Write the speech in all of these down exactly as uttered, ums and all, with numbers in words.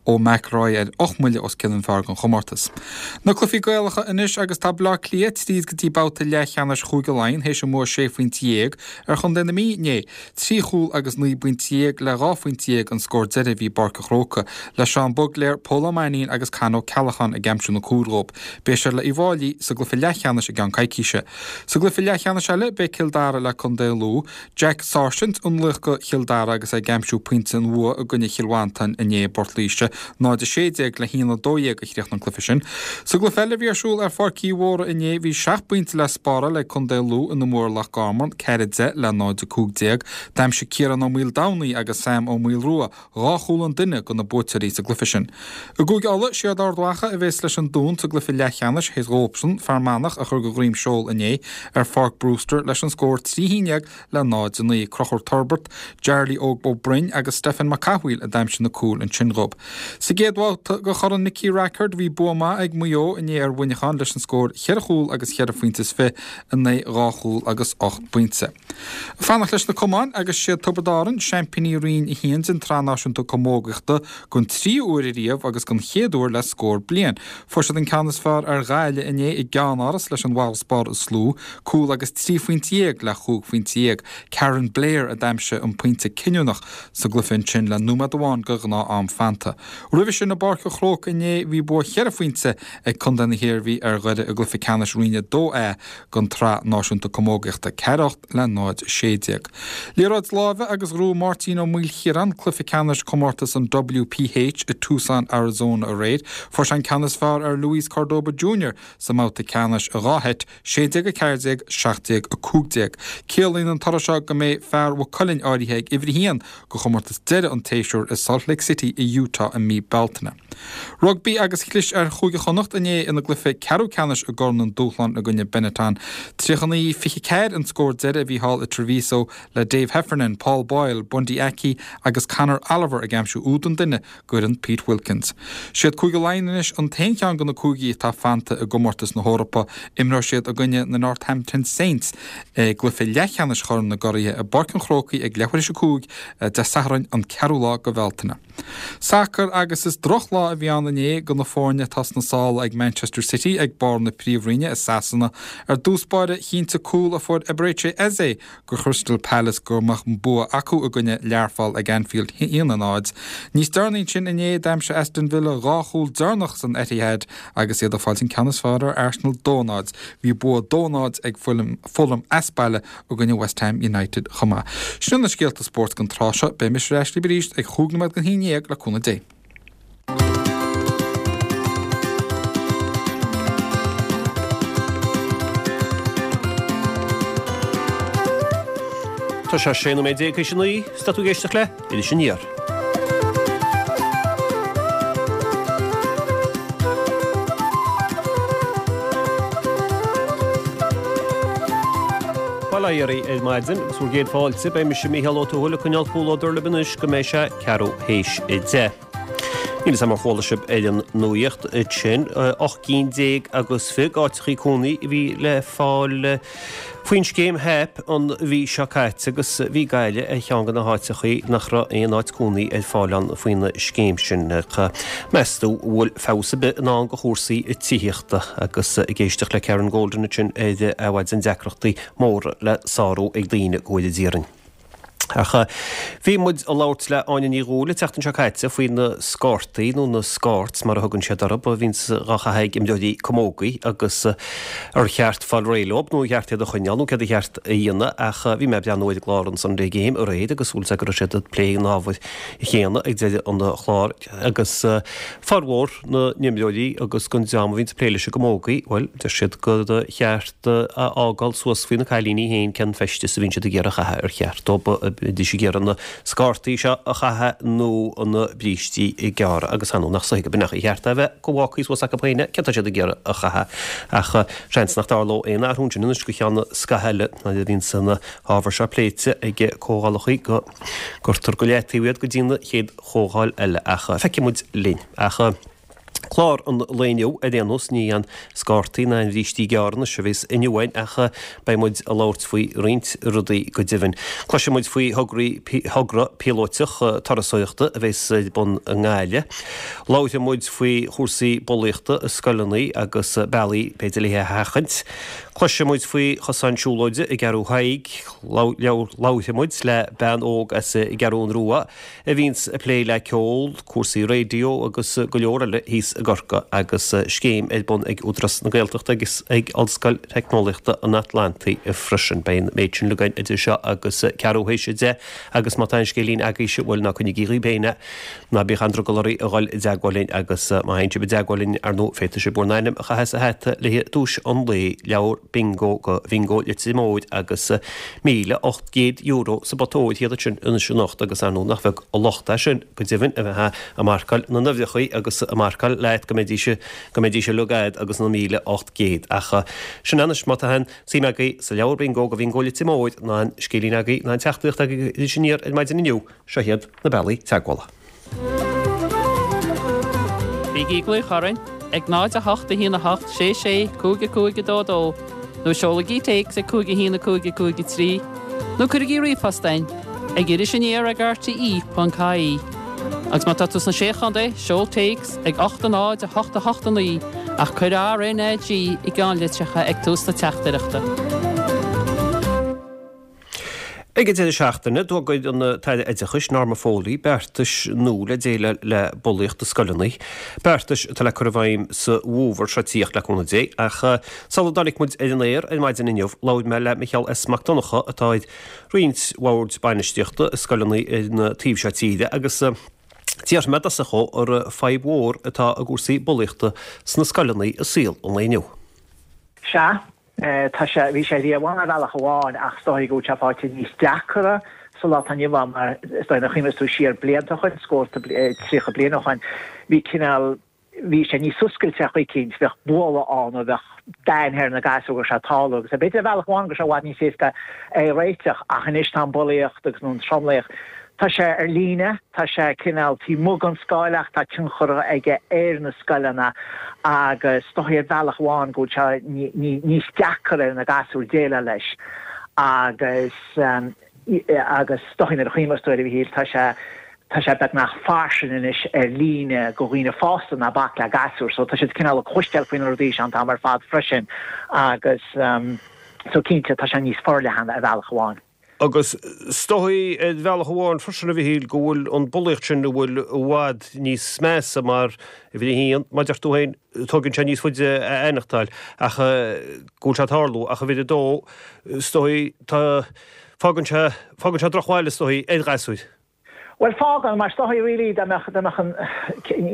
ó McIlroy ar ocht mbuille os cionn an phar don chomórtas. Na cluichí Gaelacha anois agus tá Bleá Cliath tríd go dtí babhta leathcheannais Chúige Laighean théis a mbua sé phointe dhéag ar Chontae na Mí inné. Trí chúl agus naoi bpointe dhéag le dhá phointe dhéag an scór deiridh a bhí i bPáirc an Chrócaigh, le Seán Bugler, Pól Ó Mainnín agus Con Ó Ceallacháin ag aimsiú na cúil dhóibh. Beidh siad le Uíbh Fhailí sa gcluiche leathcheannais i gceann coicíse. Sa gcluiche leathcheannais eile beidh Cill Dara le Contae Lú, Jack Sargent an laoch do Chill Dara agus é ag aimsiú pointe an bhua i gcoinne Chill Mhantáin inné i bPort Laoise, náid a sé déag le haon a dó dhéag a chríochnaigh an cluiche sin. Sa gcluiche eile a bhí ar siúl ar Pháirc Uí Mhórdha inné bhí seacht bpointe le spáráil ag Contae Lú ina mbua ar Loch Garman, ceathair a deich le náid a cúig déag. D'aimsigh Ciarán Ó Maoldomhnaigh agus Sam Ó Maolrua dhá chúl an duine do na buaiteoirí sa gcluiche sin. I gCúige Uladh, siad Ard Mhacha a bheas leis an Dún sa gcluiche leathcheannais théis dhóibhsean Fear Manach a chur de dhroim seoil inné ar Pháirc Brewster leis an scór trí haon déag le náid a naoi. Conchúr Torbert, Jarly Óg Ó Broin agus Stephen Mac Cathmhaoil a d'aimsigh na cúil ansin dhóibh. Sa gcéad bhabhta de Chorn Nicky Rackard bhí bua maith ag Maigh Eo inné ar Mhuineachán leis an scór cheithre chúl agus cheithre phointe is fiche in aghaidh dhá chúl agus ocht bpointe. Fanacht leis na camáin agus siad Tiobraid Árann, seaimpíní Roinn a haon den tSraith Náisiúnta Camógaíochta don tríú huair ariamh agus don chéad uair le scór bliain. Fuair siad an ceann is fearr ar Ghaillimh inné i gceannáras leis an bhfarasbarr is lú, cúl agus trí phointe dhéag le chúig phointe dhéag. Karen Blair a d'aimsigh an pointe cinniúnach sa gcluiche ansin le nóiméad amháin de ghnáth-am fanta. Roimhe sin i bPáirc an Chrócaigh inné bhí bua cheithre phointe ag Contae na hIarmhí ar Dhoire i gcluiche ceannais Roinn a dó A den tSraith Náisiúnta Camógaíochta, ceathair a hocht le náid a sé déag. Liathróid láimhe agus ghnóthaigh Máirtín Ó Maoilchiaráin cluiche ceannais comórtas an W P H i Tucson, Arizona aréir. Fuair sé an ceann is fearr ar Luis Cordoba Junior sa mbabhta ceannais i dhá sheit, sé déag a ceathair déag, seacht déag a cúig déag. Ciallaíonn an toradh seo go mbeidh fear Mhaigh Cuilinn áirithe ag uimhir a haon do chomórtas deiridh an tséasúir i Salt Lake City i Utah i mí Bealtaine. Rugbaí agus chlis ar Chúige Chonnacht inné ina gcluiche ceathrú ceannais i gCorn an Dúshláin i gcoinne Benetton. tríocha naoi fiche ceathair an scór deiridh a bhí thall i Treviso le Dave Heffernan, Paul Boyle, Bundee Aki agus Conor Oliver ag aimsiú úd an duine d'fhoireann Pete Wilkins. Siad Cúige Laighean anois an t-aon cheann de na cúigí atá fanta i gcomórtas na hEorpa. Imreoidh siad i gcoinne na Northampton Saints i gcluiche leathcheannais Chorn na gCuraithe i bPáirc an Chrócaigh ag leathuair théis a cúig Dé Sathairn an ceathrú lá de Bhealtaine. Sacar agus is drochlá a bhí ann inné do na foirne atá sna sála ag Manchester City ag barr na príomhroinne i Sasana. Ar dtús báire chinntigh cúl a fuair Eberechi Eze do Crystal Palace go mbeadh an bua acu i gcoinne Learpholl ag Anfield haon a náid. Níos deireanaí ansin inné d'aimsigh Aston Villa dhá chúl deireanach san Etihad agus iad ag fáilt an ceann is fearr ar Arsenal dó náid. Bhí bua dó náid ag Fulham as baile i gcoinne West Ham United chomh maith. Sin na scéalta spóirt don tráth seo, beidh mise ar ais libh arís ag chúig nóiméad don haon déag le cúnamh Dé. Tá sé sé nóiméad déag théis a naoi, is tá tú ag éisteacht le Iris Aniar. Bail ó Dhia oraibh ar maidin agus bhur gcéad fáilte, beidh mise Mícheál Ó Tuathail ag coinneáil comhluadar libh anois go mbeidh sé ceathrú théis a deich. Níl 'fhios a'm ar chuala sibh ar an nuaíocht sin, ocht gcinn déag agus fiche d'áiteachaí cónaí a bhí le fáil faoin scéim HAP an mhí seo caite agus bhí Gaillimh ar cheann de na háiteachaí nach raibh aon áit cónaí ar fáil ann faoin scéim sin. Meas tú an bhfuil feabhas ar bith i ndán do chúrsaí tithíochta agus ag éisteacht le Karen Golden ansin ar Adhmhaidin deacrachtaí móra le sárú ag daoine go bhfóire Dia orainn. Ach bhí muid ag labhairt le Áine Ní Dhúill an tseachtain seo caite faoi na scártaí, nó na scarts mar a thugann siad orthu, a bhíonns dhá chaitheamh ag imreoirí camógaí agus ar cheart fáil réidh leo nó ar cheart iad a choinneáil nó céard a cheart a dhéanamh ach bhí mé ag breathnú ar an gclár an Sunday Game aréir agus bhfuil 's a'd go raibh siad ag plé an ábhair chéanna ag deireadh an chláir agus formhór na n-imreoirí agus den dream a bhíonns ag plé leis an gcamógaí, bhuel, deir siad gur cheart a fhágáil suas faoi na cailíní féin cén feisteas a bhíonn siad ag iarraidh a chaitheamh, ar cheart dóibh a bheidís ag iarraidh na scártaí seo a chaitheamh nó na brístí gearra agus ar ndóigh nach soithigh ab in ar cheart é a bheith go bhfágfaí suas acu féin é, céard tá siad ag iarraidh a chaitheamh. Ach seans nach dtarlódh aon athrú ansin anois go ceann scaithimh eile nuair a bhíonns na hábhair seo pléite ag comhdhálachaí go gcuirtear go leataobh iad go dtí na chéad chomhdháil eile ach feicfidh muid linn. Ach. Clár an lae inniu ar aon nós, ní an scártaí ná an bhrístí gearr anois a bheas inniu againn ach beidh muid ag labhairt faoi roinnt rudaí go deimhin. Cloisfidh muid faoi thograí thogra píolóiteach turasóireachta a bheas ar bun i nGaillimh. Labharfaidh muid faoi chúrsaí bulaíochta i scoileanna agus bealaí b'fhéidir le é a sheachaint. Cloisfidh muid faoi chosán siúlóide i gCeathrú Thaidhg. Labharfaidh muid le bean óg as an gCeathrú Rua a bhíonns ag plé le ceol, cúrsaí raidió agus go leor eile thíos i gCorcaigh agus scéim ar bun ag Údarás na Gaeltachta agus ag Ollscoil Teicneolaíochta an Atlantaigh freisin. Beidh an méid sin againn idir seo agus ceathrú théis a deich agus má tá aon scéilín agaibhse, bhuel ná coinnigí dhaoibh féin é, ná bíodh aon drogall oraibh a dhul i dteagmháil linn agus má théann sibh i dteagmháil linn, ar ndóigh, féadfaidh sibh bhur n-ainm a chaitheamh sa hata le haghaidh duais an lae, leabhar Bingo go Bhingo Leitir Móir agus míle ocht gcéad euro sa bpota óir thiar ansin anois anocht agus ar ndóigh nach bheag an locht é sin go deimhin a bheith ag marcáil na n-uimhreachaí agus ag marcáil leat go mbeidís go mbeidís uilig a'd agus na míle ocht gcéad ach sin anois má tá aon suim agaibh sa leabhar Bingo go Bhingo Leitir Móir ná aon scéilín agaibh ná aon teachtaireacht agaibh Iris Aniar ar maidin inniu seo iad na bealaí teagmhála. Bígí ag glaoch orainn ag náid a hocht a haon a hocht sé sé cúig a cúig a dó dó nó seolaigí téacs ag cúig a haon a cúig a cúig a trí nó cuirigí ríomhphost chugainn ag iris aniar ag R T E ponc I E. Agus má tá tú sna Sé Chontae, seol téacs ag ocht a náid a hocht a hocht a naoi ach cuir R N A G i gceannlitreacha ag tús na teachtaireachta. Ag an deireadh seachtaine, d'fhógair an tAire Oideachais Norma Foley beartais nua le déileáil le bulaíocht i scoileanna. Beartais atá le cur i bhfeidhm sa bhfómhar seo tíocht le cúnamh Dé. Ach sula dtáinig muid ar an aer ar maidin inniu, labhair mé le Micheál S. Mac Donncha atá ar roinnt bhoird bainistíochta i scoileanna ar an taobh seo tíre agus d'fhiafraigh mé i dtosach dhó ar fadhb mhór atá i gcúrsaí bulaíochta sna scoileanna i saol an lae inniu. Sea, tá sé bhí sé riamh ann ar bhealach amháin ach is dóigh go bhfuil sé faighte níos deacra sa lá atá inniu ann mar is dóigh nuair a chuimhneos tú siar blianta ó shin, scórtha tríocha bliain ó shin, bhí cineál bhí sé níos oscailte ar chaoi éicint, bheadh bualadh ann nó bheadh d'aithne ar na gasúir go raibh sé ag tarlú agus b'fhéidir ar bhealach amháin go raibh sé i bhfad níos éasca é a réiteach ach anois tá an bulaíocht agus nó an tromluíocht tá sé ar líne, tá sé cineál taobh amuigh den scoil ach tá tionchar aige ar na scoileanna agus is dóigh ar bhealach amháin go bhfuil sé níos deacra ar na gasúir déileáil leis agus agus is dóigh nuair a chuimhneos tú air a Mhíchíl tá sé tá sé beagnach fairsing anois ar líne go dhaoine fásta ná bac le gasúir so tá siad cineál ag cloisteáil faoi na rudaí seo an t-am ar fad freisin agus so cinnte tá sé níos forleithne ar bhealach amháin. Agus is dóigh ar bhealach amháin freisin a Mhichíl go bhfuil an bulaíocht sin a bhfuil i bhfad níos measa mar uimhir a haon, mar a deir tú féin, tógann sé níos faide a aithneachtáil ach go bhfuil sé ag tarlú ach uimhir a dó is dóigh tá fágann sé fágann sé drochbhail is dóigh ar ghasúir. Bhuel fágann mar is dóigh really dá mbeadh dá mbeadh an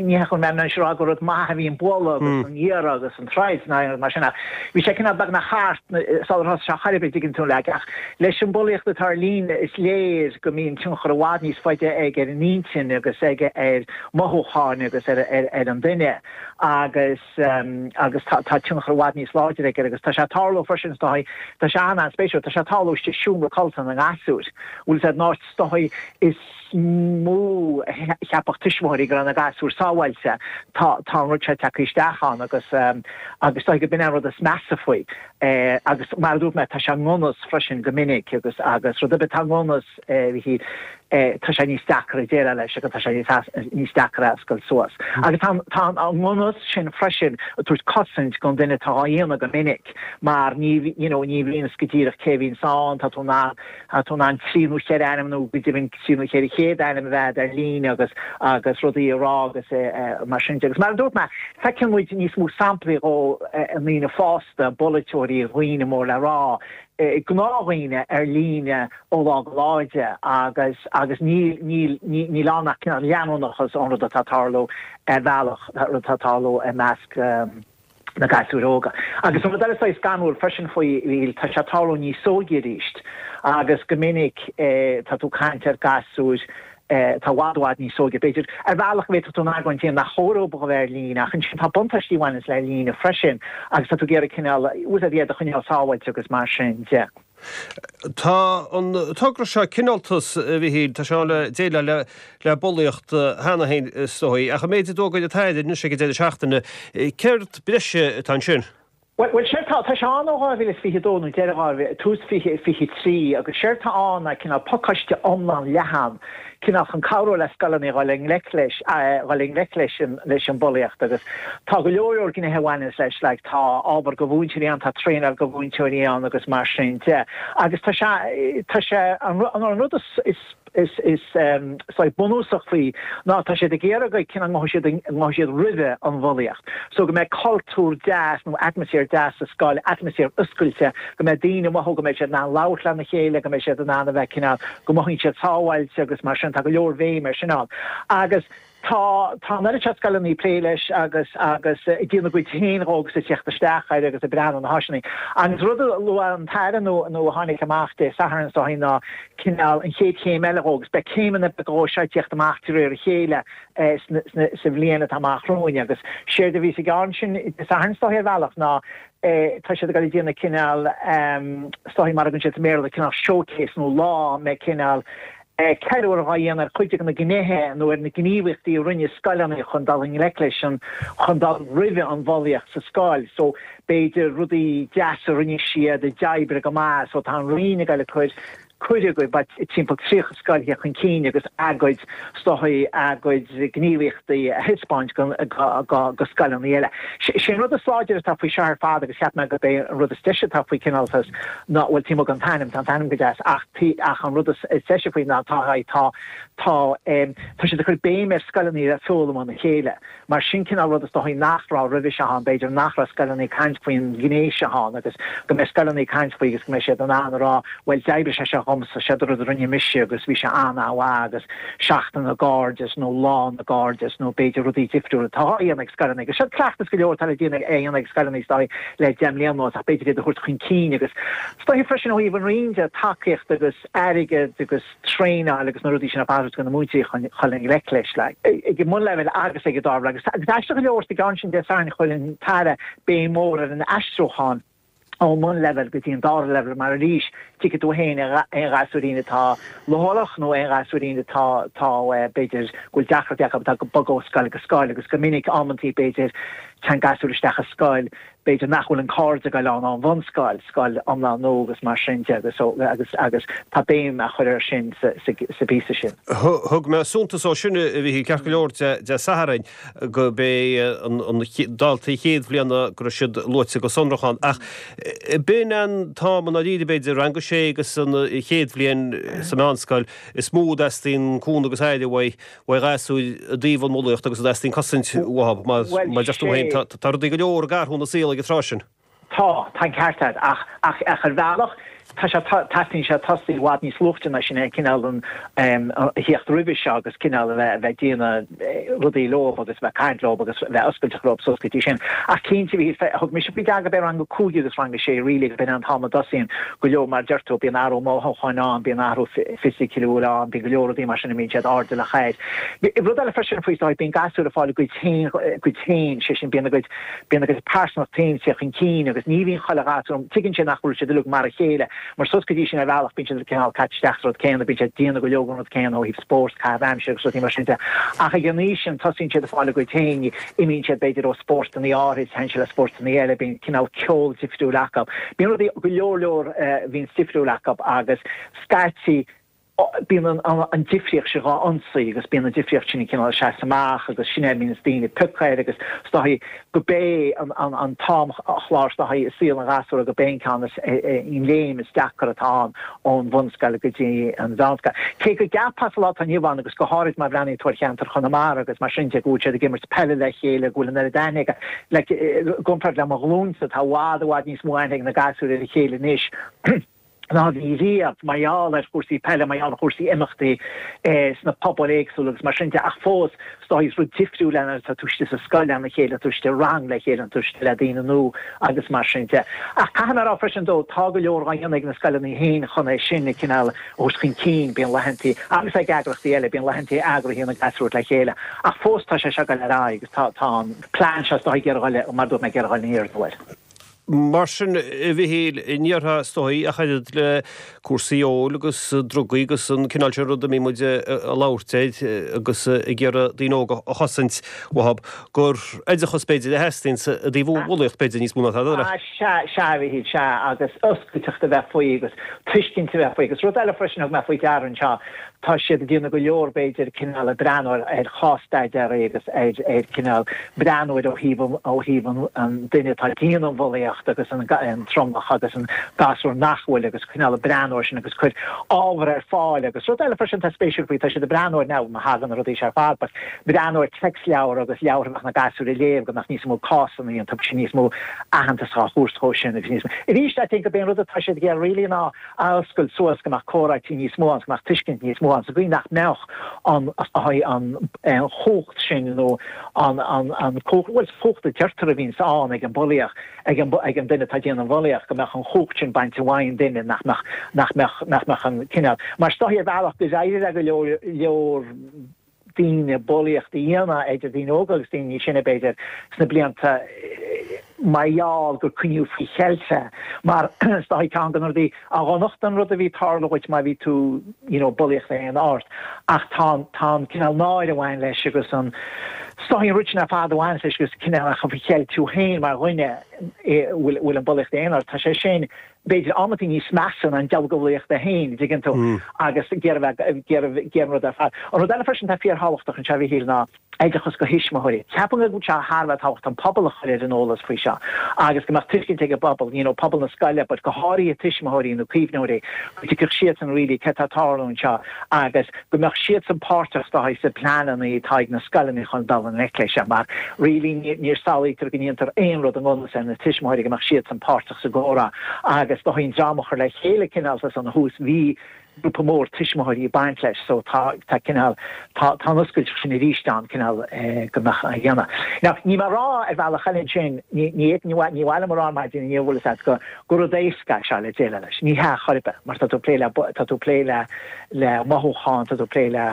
ní hé chun mé anois rá gur rud maith a bhí an bualadh agus an iarraidh agus an troid ná aon rud mar sin ach bhí sé cineál beagnach thart sular thosaigh sé chor ar bith dtuigeann tú like ach leis an bulaíocht atá ar líne is léir go mbíonn tionchar i bhfad níos faide aige ar an intinn agus aige ar mothúcháin agus ar ar ar an duine agus agus tá tá tionchar i bhfad níos láidre aige agus tá sé ag tarlú freisin is dóigh tá sé an-an-spéisiúil tá sé ag tarlú istigh i seomra codlata na ngasúr bhfuil sé an áit is dóigh is mó a cheapfadh tuismitheoirí go raibh na gasúir sábháilte tá tá an rud seo tagtha isteach ann agus agus dóigh go b'in an rud is measa faoi agus mar a dúirt mé tá sé i ngan fhios freisin go minic agus agus rud ar bith atá i ngan fhios bhí tá sé níos deacra déileáil leis agus tá sé níos deacra a oscailt suas. Agus tá tá an ngan fhios sin freisin ag tabhairt cosaint don duine atá á dhéanamh go minic mar ní you know ní bhíonn go díreach cé bhíonn ann tá tú ná tá tú in ann trí nó ceithre ainm nó go deimhin trí nó ceithre chéad ainm a bheith ar líne agus agus rudaí a rá agus mar sin de. Agus mar a dúirt mé, feiceann muid níos mó samplaí ó ndaoine fásta, polaiteoirí, dhaoine mór le rá, gnáthdhaoine ar líne ó lá go lá de agus agus níl níl níl ann ach cineál leanúnachas ón rud atá ag tarlú ar bhealach rud atá ag tarlú i measc na gasúir óga. Agus an rud eile is scanrúil freisin faoi bhí tá sé ag tarlú níos óige arís agus go minic tá tú ag caint ar gasúir tá i bhfad i bhfad níos óige. B'fhéidir ar bhealach go bhféadfadh tú an argóint a dhéanamh nach chóir dóibh a bheith ar líne ach ansin tá buntáistí a bhaineanns le líne freisin agus tá tú ag iarraidh cineál úsáid iad a choinneáil sábháilte agus mar sin de. Tá an togra seo Cineáltas, a Mhichíl, tá sé ann le déileáil le le bulaíocht cheana féin is dóigh, ach an méid a d'fhógair an tAire anois ag an deireadh seachtaine, céard breise atá ansin? Bhuel, séard tá, tá sé ann ó dhá mhíle is fiche a dó nó deireadh dhá mhíle, tús fiche fiche trí agus séard tá ann ná cineál pacáiste iomlán leathan, cineál chun cabhrú le scoileanna dhul i ngleic leis, dhul i ngleic leis an, leis an bhulaíocht agus tá go leor leor gnéithe a bhaineanns leis, like tá ábhar do mhúinteoirí ann, tá traenáil do mhúinteoirí ann agus mar sin de. Agus tá sé, tá sé, an, an rud is, is, is is saghas bunúsach faoi ná tá siad ag iarraidh go cineál ngabhfaidh siad ngabhfaidh siad roimhe an bhulaíocht. So go mbeidh cultúr deas nó atmaisféar deas sa scoil, atmaisféar oscailte, go mbeidh daoine ag mothú go mbeidh siad in ann labhairt lena chéile, go mbeidh siad in ann a bheith cineál, go mothaíonn siad sábháilte agus mar sin, tá go leor bhéim ar sin ann. Agus Tá, tá an oiread seo scoileanna ag plé leis agus, agus ag déanamh a gcuid féin dhó agus ag teacht isteach air agus ag breathnú na háiseanna. Agus rud a luaigh an tAire nó, nó a tháinig amach Dé Sathairn is dóigh ná cineál an chéad chéim eile dhó agus beidh céimeanna beaga dhó seo ag teacht amach de réir a chéile sna, sna, sa bhliain atá amach romhainn agus séard a bhí sa gceann sin Dé Sathairn is dóigh ar bhealach ná tá siad ag dul ag déanamh cineál is dóigh mar a thugann siad sa mBéarla cineál showcase nó lá a mbeidh cineál ceiliúradh á dhéanamh ar chuid de na gnéithe nó ar na gníomhaíochtaí a rinne scoileanna chun dul i ngleic leis an, chun dul roimhe an bhulaíocht sa scoil. So, b'fhéidir rudaí deasa a rinne siad a d'oibrigh go maith. So, tá an Roinn ag dul ag cur cuireadh go timpeall tríocha scoil theacht chun cinn agus a gcuid, is dóigh, a gcuid gníomhaíochtaí a thaispeáint go scoileanna eile. Sé an rud is láidre atá faoi seo ar fad agus cheap mé gurb é an rud is deise atá faoi Cineáltas ná, bhuel, taobh amuigh den t-ainm, tá an t-ainm go deas ach, ach an rud is deise faoi ná tá, tá, tá, tá siad ag cur béim ar scoileanna a foghlaim óna chéile. Mar sin cineál rud is dóigh nach raibh roimhe seo ann, b'fhéidir nach raibh scoileanna ag caint faoin ghné seo ann agus go mbeidh scoileanna ag caint faoi agus go mbeidh siad in ann a rá bhuel d'oibrigh sé seo dhomsa, seo rud a rinne mise agus bhí sé an-mhaith agus Seachtain na gCairdeas nó Lá na gCairdeas nó b'fhéidir rudaí difriúla atá á dhéanamh ag scoileanna agus seo cleachtas go leor atá le déanamh á dhéanamh ag scoileanna is dóigh le deich mbliana anuas ach b'fhéidir iad a thabhairt chun cinn agus is dóigh freisin ó thaobh an Roinn de tacaíocht agus airgead agus traenáil agus na rudaí sin ar fad do na múinteoirí chun chun i ngleic leis like ag an mbunleibhéal agus ag an dara leibhéal. Agus aisteach go leor sa gceann sin Dé Sathairn chuir an tAire béim mhór ar an aistriúchán ón mbunleibhéal go dtí an dara leibhéal mar arís tuigfidh tú féin aon ghasúirín atá leochaileach nó aon ghasúirín atá atá b'fhéidir go bhfuil deacrachtaí acu atá ag bogadh ó scoil go scoil agus go minic amantaí b'fhéidir téann gasúr isteach i scoil b'fhéidir nach bhfuil an cairde ag goil ann ón bhunscoil, scoil iomlán nua agus mar sin de agus agus agus tá béim á chur air sin sa sa sa bpíosa sin. Thug mé suntas dó sin, a Mhichíl, ceart go leor Dé Sathairn go b'é an an daltaí chéad bhliana go raibh siad luaite go sonrach ann ach b'in an t-am i ndáiríre b'fhéidir, rang a sé agus an chéad bhliain sa mheánscoil is mó a dteastaíonn cúnamh agus aire uaidh uaidh ghasúir i dtaobh an bhulaíocht agus a dteastaíonn cosaint uathu. Mar a deir tú féin, tá rudaí go leor ag athrú ina saol ag an tráth sin. Tá, tá an ceart agat, ach, ach, ach ar bhealach, tá sé, teastaíonn sé tosaí i bhfad níos luaite ná sin, cineál an, a theacht roimhe seo agus cineál a bheith, a bheith ag déanamh rudaí leo agus a bheith ag caint leo agus a bheith oscailte leo suas go dtí sin. Ach cinnte, bhí, thug mise faoi deara gurb é rang a cúig agus rang a sé really gurb in an t-am a dtosaíonn go leor, mar a deir tú, bíonn athrú mothúcháin ann, bíonn athrú fisiciúil ann, bíonn go leor rudaí mar sin a mbíonn siad airdeallach air. Rud eile freisin faoi, is dóigh, bíonn gasúir ag fáil a gcuid féin, a gcuid féin, sé sin, bíonn a gcuid, bíonn a gcuid pearsanacht féin ag teacht chun cinn agus ní bhíonn chuile ghasúr, tuigeann siad nach bhfuil siad uilig mar a chéile, mar suas go dtí sin ar bhealach bíonn siad cineál caite isteach sa rud céanna, bíonn siad ag déanamh go leor den rud céanna ó thaobh spóirt, caitheamh aimsire agus rudaí mar sin de. Ach ag an aois sin tosaíonn siad ag fáil a gcuid féin, imíonn siad b'fhéidir ó spórtanna áirid, téann siad le spórtanna eile, bíonn cineál ceol difriúil acu, bíonn rudaí go leor leor a bhíonn difriúil acu agus scaití bíonn an difríocht sin dhá ionsaí agus bíonn an difríocht sin cineál ag seasamh amach agus sin é a mbíonns daoine ag piocadh air agus is dóigh go b'é an t-amchlár is dóigh i saol an ghasúra go b'é an ceann is an léim is deacra atá ann ón bhunscoil go dtí an mheánscoil. Cé go gceapfá sa lá atá inniu ann agus go háirid má bhreathnaíonn tú ar cheantar Chonamara agus mar sin de go bhfuil siad ag imirt peile le chéile go bhfuil an oiread aithne aige like i gcomparáid le mo ghlúinsa tá i bhfad i bhfad níos mó aithne ag na gasúir ar a chéile anois ná a bhí riamh mar gheall ar chúrsaí peile, mar gheall ar chúrsaí imeachtaí sna pobail éagsúla agus mar sin de. Ach fós, is dóigh, is rud difriúil é nuair atá tú istigh sa scoil lena chéile, tú istigh i rang le chéile, tú istigh le daoine nua agus mar sin de. Ach caithfidh mé a rá freisin dó, tá go leor á dhéanamh ag na scoileanna féin chun é sin a cineál a thabhairt chun cinn, bíonn laethantaí, agus ag eagraíochtaí eile, bíonn laethantaí eagraithe na gasúir le chéile. Ach fós tá sé seo ag dul ar aghaidh agus tá an plean seo is dóigh ag iarraidh dul, mar a dúirt mé, ag iarraidh dul in airde. Mar sin, a Mhichíl, ní déarfá is dóigh ach oiread le cúrsaí óil agus drugaí agus an cineál sin rud a mbíonn muid ag labhairt air agus ag iarraidh daoine óga a chosaint uathu, gur oideachas b'fhéidir a theastaíonn i dtaobh an bhulaíocht b'fhéidir níos mó ná tada eile. Sea, sea, a Mhichíl, sea, agus oscailteacht a bheith faoi agus tuiscint a bheith faoi. Agus rud eile freisin a thug mé faoi deara anseo, tá siad ag déanamh go leor b'fhéidir cineál ag breathnú ar chás-staidéir agus ar ar cineál breathnú air ó thaobh ó thaobh an an duine atá ag déanamh an bhulaíocht agus an an tromlach agus an gasúr nach bhfuil agus cineál ag breathnú air sin agus cur ábhar ar fáil agus rud eile freisin atá spéisiúil faoi tá siad ag breathnú ar now má thagann na rudaí seo ar fad but breathnú ar téacsleabhar agus leabhartha a bheadh na gasúir a léamh go mbeadh níos mó cásanna iontu agus níos mó aitheantas á thabhairt dhó sin agus níos mó arís I think gurb é an rud atá siad ag iarraidh really ná a oscailt suas go mbeadh comhráití níos mó ann, go mbeadh tuiscint níos mó ann, sa gcaoi nach mbeadh an an chumhacht sin nó an an chumhacht, bhuel, cumhacht a deirtear a bhíonns ann ag an bulaíoch, ag an ag an duine atá ag déanamh an bhulaíocht, go mbeadh an chumhacht sin bainte uaidh an duine, nach mbeadh nach mbeadh nach mbeadh an cineál, mar is dóichí ar bhealach go d'éirigh le go leor leor daoine bulaíocht a dhéanamh idir daoine óga agus daoine níos sine b'fhéidir sna blianta mar gheall gur coinníodh faoi cheilt é mar is dóichí ceann de na rudaí a dhonacht an rud a bhí ag tarlú dhuit má bhí tú you know bulaíocht a dhéanamh ort ach tá tá an cineál náire a bhain leis agus an is dóichí an rud sin ar fad a bhain leis agus cineál a chur faoi cheilt tú féin mar dhuine bhfuil bhfuil an bulaíocht á dhéanamh ort tá sé sin b'fhéidir amantaí níos measa ná an dealgabhlaíocht é féin, an dtuigeann tú, agus ag iarraidh bheith, ag iarraidh, ag iarraidh an rud ar fad. An rud eile freisin atá fíorthábhachtach anseo, a Mhichíl, ná oideachas do thuismitheoirí. Ceapaim go bhfuil sé thar a bheith tábhachtach an pobal a chur ar an eolas faoi seo agus go mbeadh tuiscint ag an bpobal, you know, pobal na scoile, but go háirithe tuismitheoirí nó caomhnóirí, go dtuigfeadh siadsan really céard atá ag tarlú anseo agus go mbeadh siadsan páirteach is dóichí sna pleananna atá ag na scoileanna chun dul i ngleic leis seo mar really ní shamhlaítear go ndéantar aon rud i ngan fhios ar na tuismitheoirí go mbeadh siadsan páirteach sa gcomhrá agus is dóichí an dream a chur le chéile cineál san thús bhí grúpa mór tuismitheoirí ag baint leis so tá tá cineál tá tá an oscailteacht sin arís ann cineál go mbeadh a dhéanamh. Now níl mé ag rá ar bhealach eile ansin ní ní ní ní mhaith liom a rá ar maidin inniu bhfuil fhios agat go gur rud éasca é seo le déileáil leis. Ní hea chor ar bith mar tá tú ag plé le tá tú ag plé le le mothúcháin tá tú ag plé le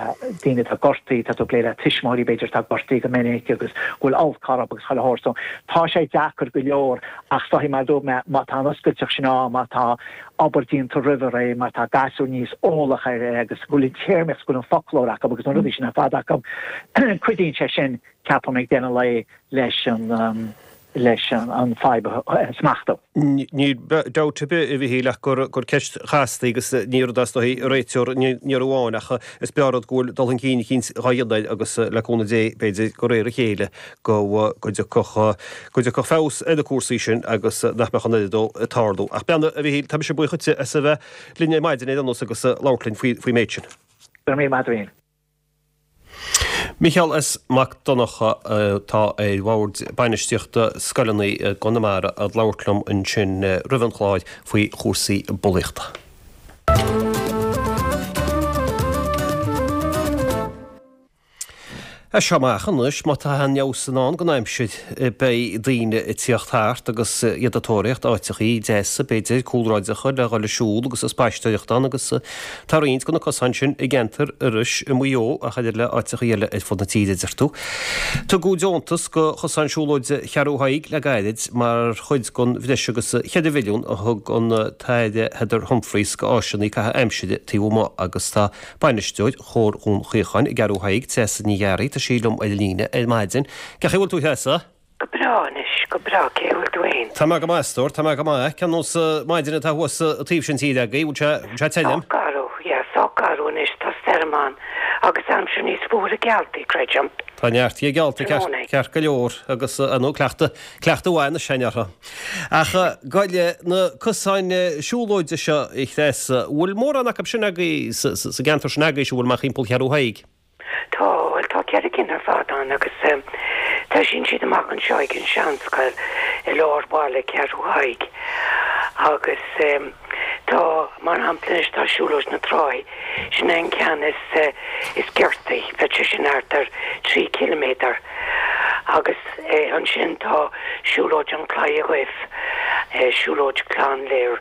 daoine atá gortaithe tá tú ag plé le tuismitheoirí b'fhéidir atá gortaithe go minic agus go bhfuil olc orthu agus chuile shórt so tá sé deacair go leor Ach is dóichí mar a dúirt mé, má tá an oscailteacht sin ann, má tá obair déanta roimh ré, má tá gasúir níos eolach air agus go bhfuil an téarmaíocht, go bhfuil an foclóir acu agus na rudaí sin ar fad acu, cuidíonn sé sin, ceapaim, ag deireadh an lae leis an leis an fadhb a smachtú. Níl dabht ar bith, a Mhichíl, ach gur ceist chasta í agus ní rud é is dóichí a réiteofar in iarraidh amháin ach is breá rud go bhfuil dul chun cinn eicínt dhá dhéanamh air agus le cúnamh Dé b'fhéidir de réir a chéile go dtiocfadh go dtiocfadh feabhas ar na cúrsaí sin agus nach mbeadh an oiread dó ag tarlú. Ach beannacht, a Mhichíl, tá mise buíoch dhuitse as a bheith linn ar maidin ar aon nós agus labhairt linn faoi faoin méid sin. Go raibh míle maith agat, a Mhichíl. Micheál S. Mac Donncha atá ar bhord bainistíochta scoileanna i gConamara ag labhairt liom ansin roimh an chlár faoi chúrsaí bulaíochta. As seo amach anois, má tá aon fheabhas i ndán don aimsir, beidh daoine ag tíocht thart agus iad ag tóraíocht áiteachaí deasa, b'fhéidir, cúlráideacha le dhul ag siúl agus ag spaisteoireacht ann agus tá roinnt de na cosáin sin i gceantar Iorrais i Maigh Eo ach oiread le áiteachaí eile ar fud na tíre, a deir tú. Tugadh deontas do chosán siúlóide Cheathrú Thaidhg le gairid mar chuid den bhreis agus cheithre mhilliún a thug an tAire Heather Humphreys do áiseanna caitheamh aimsire taobh amuigh agus tá Bainisteoir Chomhar Dhún Chaocháin i gCeathrú Thaidhg, Treasa Ní Ghearraigh, tá sí liom ar an líne ar maidin. Cén chaoi a bhfuil tú, a Threasa? Go breá anois, go breá. Cé bhfuil tú fhéin? Tá mé go maith, a stór, tá mé go maith. Cén nós maidine atá thuas an taobh sin tíre agaibh? Bhfuil sé, bhfuil sé tirim? Sách garbh, yeah, sách garbh anois, tá stoirm ann agus aimsir níos fuaire geallta, creidim. Tá neart di geallta, ceart go leor, agus ar ndóigh cleachtadh, cleachtadh mhaith anois againn orthu. Ach gabh i leith, na cosáin siúlóide seo, a Threasa, bhfuil mórán acu sin agaibh sa gceantar sin agaibhse, bhfuil amach thimpeall Cheathrú Thaidhg? Tá, bhuel tá ceithre cinn ar fad ann agus toisíonn siad amach anseo ag an seanscoil i lár bhaile Cheathrú Thaidhg agus tá, mar shampla anois, tá Siúlóid na Tráighe, Sin é an ceann is is giortaí, bheadh sé sin thart ar trí chiliméadar. Agus ansin tá Siúlóid an Chlaidhe Dhuibh, Siúlóid Chlann Lir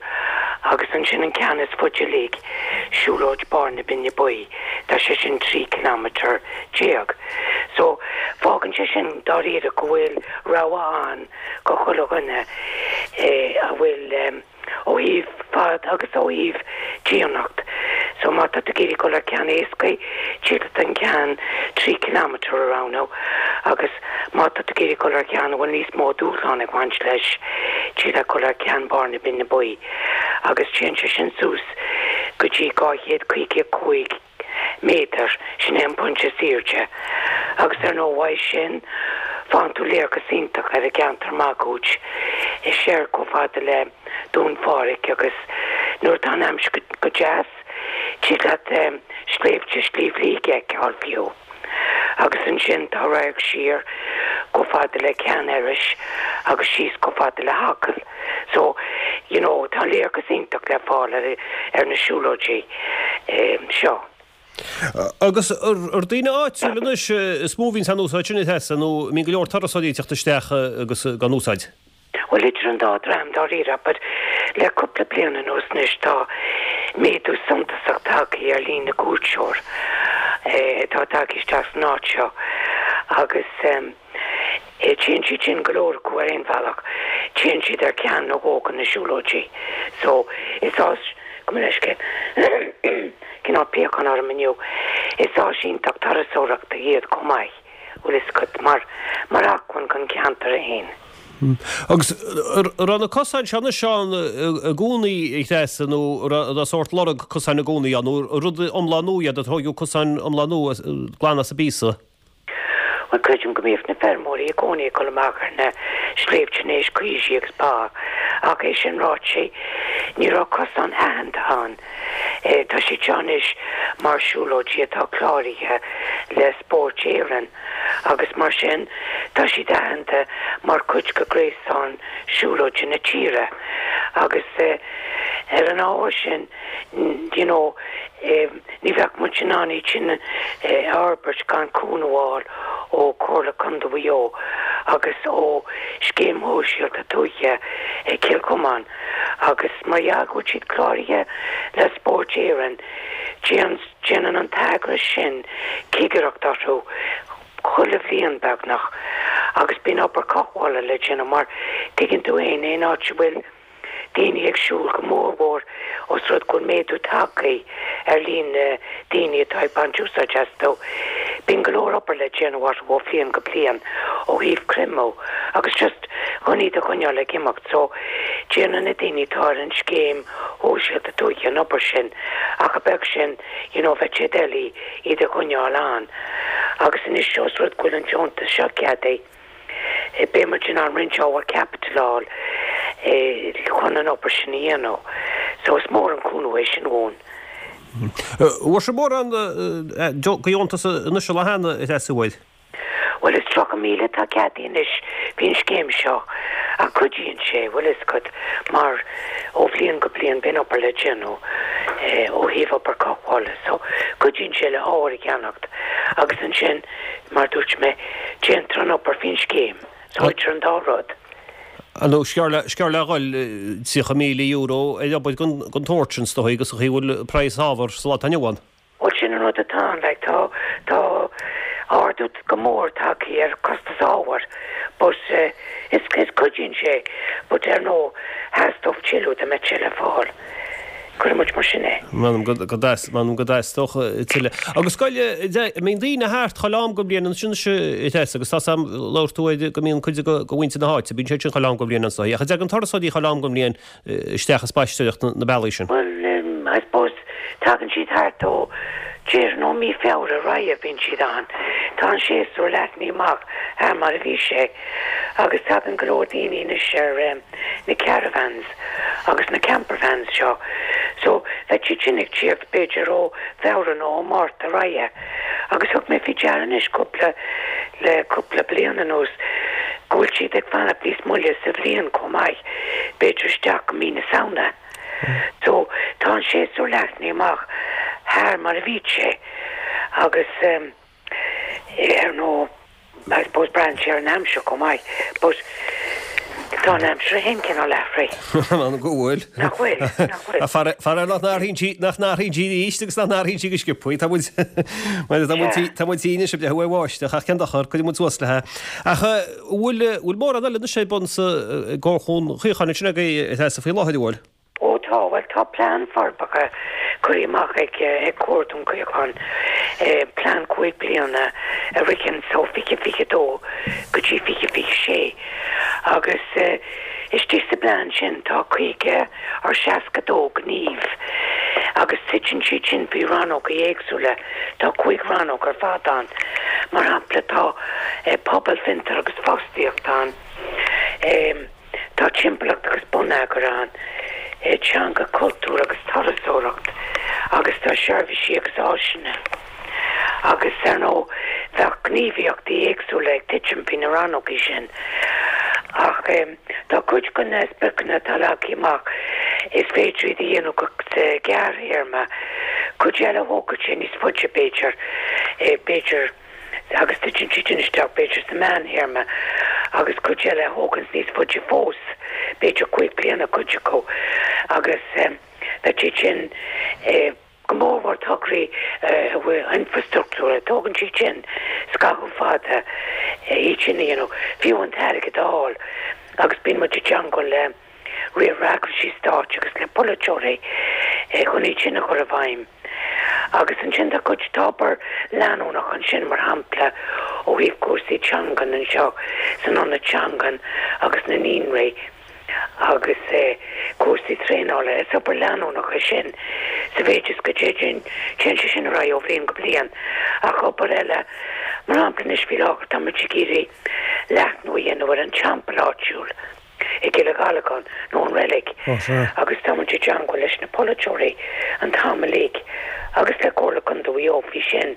agus ansin an ceann is faide uilig, Siúlóid Barr na Binne Buí, tá sé sin trí chileámeter déag. So, fágann sé sin dáiríre go bhfuil rogha ann go chuile dhuine a bhfuil ó thaobh fad agus ó thaobh dianacht. So má tá tú ag iarraidh dul ar ceann éasca, tig leat an ceann trí kilometre a roghnú agus má tá tú ag iarraidh dul ar ceann a bhfuil níos mó dúshlán ag baint leis, tig leat dul ar ceann Barr na Binne Buí agus téann sé sin suas go dtí dhá chéad caoga a cúig méadar, sin é an pointe is airde. Agus ar ndóigh uaidh sin, faigheann tú léargas iontach ar an gceantar máguaird, soir chomh fada le Dún Phádraig agus nuair atá an aimsir go deas, tig leat sléibhte Shliabh Liag a fheiceáil fiú. Agus ansin tá radharc siar chomh fada le Ceann Iorrais agus síos chomh fada le hAcaill. So, you know, tá léargas iontach le fáil ar ar na siúlóidí seo. Agus ar daoine áitiúla anois is mó a bhíonns á n-úsáid sin, a Threasa, nó an mbíonn go leor turasóirí ag teacht isteach agus á n-úsáid? Bhuel, idir an dá dhream, dáiríre, but le cúpla bliain anuas anois tá méadú suntasach tagtha ar líon na gcuairteoir atá tagtha isteach san áit seo agus téann siad sin, go leor acu ar aon bhealach, téann siad ar ceann nó dhó de na siúlóidí. So, is áis, gabh mo leithscéal, cineál piachán orm inniu, is áis iontach turasóireachta iad chomh maith, bhfuil fhios agat, mar, mar acmhainn don cheantar é fhéin. Agus an raibh na cosáin seo anois ann i gcónaí, a Threasa, nó an raibh sórt lorg cosáin i gcónaí ann, nó rud iomlán nua iad, ar tóigeadh cosáin iomlán nua glan as an bpíosa? Bhuel, creidim go mbíodh na feirmeoirí i gcónaí ag dul amach ar na sléibhte in éis caoisí agus ba, ach é sin ráite, ní raibh cosán aitheanta ann. Tá siad seo anois mar siúlóidí atá cláraithe le Spórt Éireann agus mar sin tá siad aitheanta mar chuid de ghréasán siúlóide na tíre agus ar an ábhar sin you know ní bheadh muid in ann iad sin a fhorbairt gan cúnamh a fháil ó Chomhairle Contae Mhaigh Eo agus ó Scéim Shóisialta Tuaithe Chill Chomáin agus mar gheall go bhfuil siad cláraithe le Spórt Éireann, déanann an t-eagras sin cigireacht orthu chuile bhliain beagnach agus bíonn obair cothabhála le déanamh mar tuigeann tú fhéin aon áit a bhfuil daoine ag siúl, go mórmhór os rud go bhfuil méadú tagtha ar líon na daoine atá ag baint úsáid astu. Bíonn go leor obair le déanamh orthu ó bhliain go bliain ó thaobh creimeadh agus just chun iad a choinneáil ag imeacht so déanann na daoine atá ar an scéim shóisialta tuaithe an obair sin ach a bheag sin you know bheadh sé doiligh iad a choinneáil ann agus anois os rud go bhfuil an deontas seo ceadaithe beidh muid in ann roinnt ábhar caipitil a fháil chun an obair sin a dhéanamh. So is mór an cúnamh é sin dhúinn. Bhfuair sibh mórán de dheontas anois an lá cheana, a Threasa, an bhfuair? Bhuel is tríocha míle atá ceadaithe anois faoin scéim seo ach cuidíonn sé, bhfuil fhios agat, mar ó bhliain go bliain bíonn obair le déanamh ó thaobh obair cothabhála so cuidíonn sé le hábhar a cheannacht agus ansin mar a dúirt mé déantar an obair faoin scéim so idir an dá rud. Ar ndóigh, sciorr le dhul tríocha míle euro ar obair den tsórt sin, is dóigh, agus an chaoi a bhfuil praghas ábhar sa lá atá inniu ann. Bhuel, sin an rud atá ann, like, tá, tá ardú go mór tagtha ar costas ábhair but is, is cuidíonn sé but ar ndóigh theastódh tuilleadh dá mbeadh sé le fáil. Cuirfidh muid mar sin é. M'anam go m'anam go dteastódh tuilleadh. Agus scoil, an mbíonn daoine thart chuile am den bhliain ansin anois a Threasa agus tá sam, labhair tú ar go mbíonn cuid de mhuintir na háite, bíonn siad sin chuile am den bhliain anso. Ach an dtagann turasóirí chuile am den bhliain isteach ag spaisteoireacht na bealaí sin? Bhuel, I suppose tagann siad thart ó déarfainn ó mí Feabhra ar aghaidh bíonn siad ann. Tá an séasúr leathnaithe amach thar mar a bhí sé agus tagann go leor daoine anois ar na caravans agus na campervans seo so bheadh siad sin ag tíocht b'fhéidir ó Feabhra nó ó Márta ar aghaidh agus thug mé faoi deara anois cúpla le cúpla bliain anuas go bhfuil siad ag fanacht níos moille sa bhliain chomh maith, b'fhéidir isteach go mí na Samhna. So tá an séasúr leathnaithe amach thar mar a bhí sé agus ar ndóigh I suppose braitheann sé ar an aimsir chomh maith but Tá an aimsir féin cineál athraithe. An go bhfuil. Nach bhfuil, nach bhfuil. Faraor nach n-athraíonn sí, nach n-athraíonn sí arís agus nach n-athraíonn sí go sciobtha. Tá muid, tá muid, tá muid anois ag breathnú ar bháisteach ach cén dochar, cuirfidh muid suas léi. Ach bhfuil, bhfuil mórán eile anois ar bun sa gComharchumann Chaocháin ansin agaibh a Threasa faoi láthair, an bhfuil? Ó tá, bhuel tá plean forbartha curtha amach ag Comharchumann Chaocháin, plean cúig bliana a ritheann ó fiche fiche dó go dtí fiche fiche sé agus istigh sa bplean sin tá caoga or seasca dó gníomh agus titeann siad sin faoi rannóga éagsúla, tá cúig rannóg ar fad ann, mar shampla tá pobal, fiontar agus fostaíocht ann. Tá timpeallacht agus bonneagar ann, teanga, cultúr agus turasóireacht agus tá seirbhísí agus áiseanna. Agus, ar ndóigh, bheadh gníomhaíochtaí éagsúla ag titim faoi na rannógaí sin. Ach tá cuid de na spriocanna atá leagtha amach, is féidir iad a dhéanamh go gearrthéarma, cuid eile thógfadh sé níos faide b'fhéidir, b'fhéidir. agus titeann siad sin isteach b'fhéidir sa meánthéarma agus cuid eile a thóganns níos faide fós, b'fhéidir cúig bliana cuid acu agus bheadh siad sin go mórmhór tograí infreastruchtúra, tógann siad sin scaitheamh fada iad sin a dhéanamh, fiú an t-airgead a fháil agus bíonn muid i dteangmháil le riar eagraisí stáit agus le polaiteoirí chun iad sin a chur i bhfeidhm. Agus ansin tá cuid, tá obair leanúnach ansin, mar shampla ó thaobh cúrsaí teangan anseo san ionad teangan agus na naíonraí agus cúrsaí traenála. Is obair leanúnach é sin sa mhéid is go dtéann sé sin ar aghaidh ó bhliain go bliain. Ach obair eile, mar shampla anois faoi láthair tá muid ag iarraidh leathnú a dhéanamh ar an teampall áitiúil. i gCill Ghallagáin nó an reilig agus tá muid i dteangmháil leis na polaiteoirí an t-am uilig agus le Comhairle Contae Mhaigh Eo faoi sin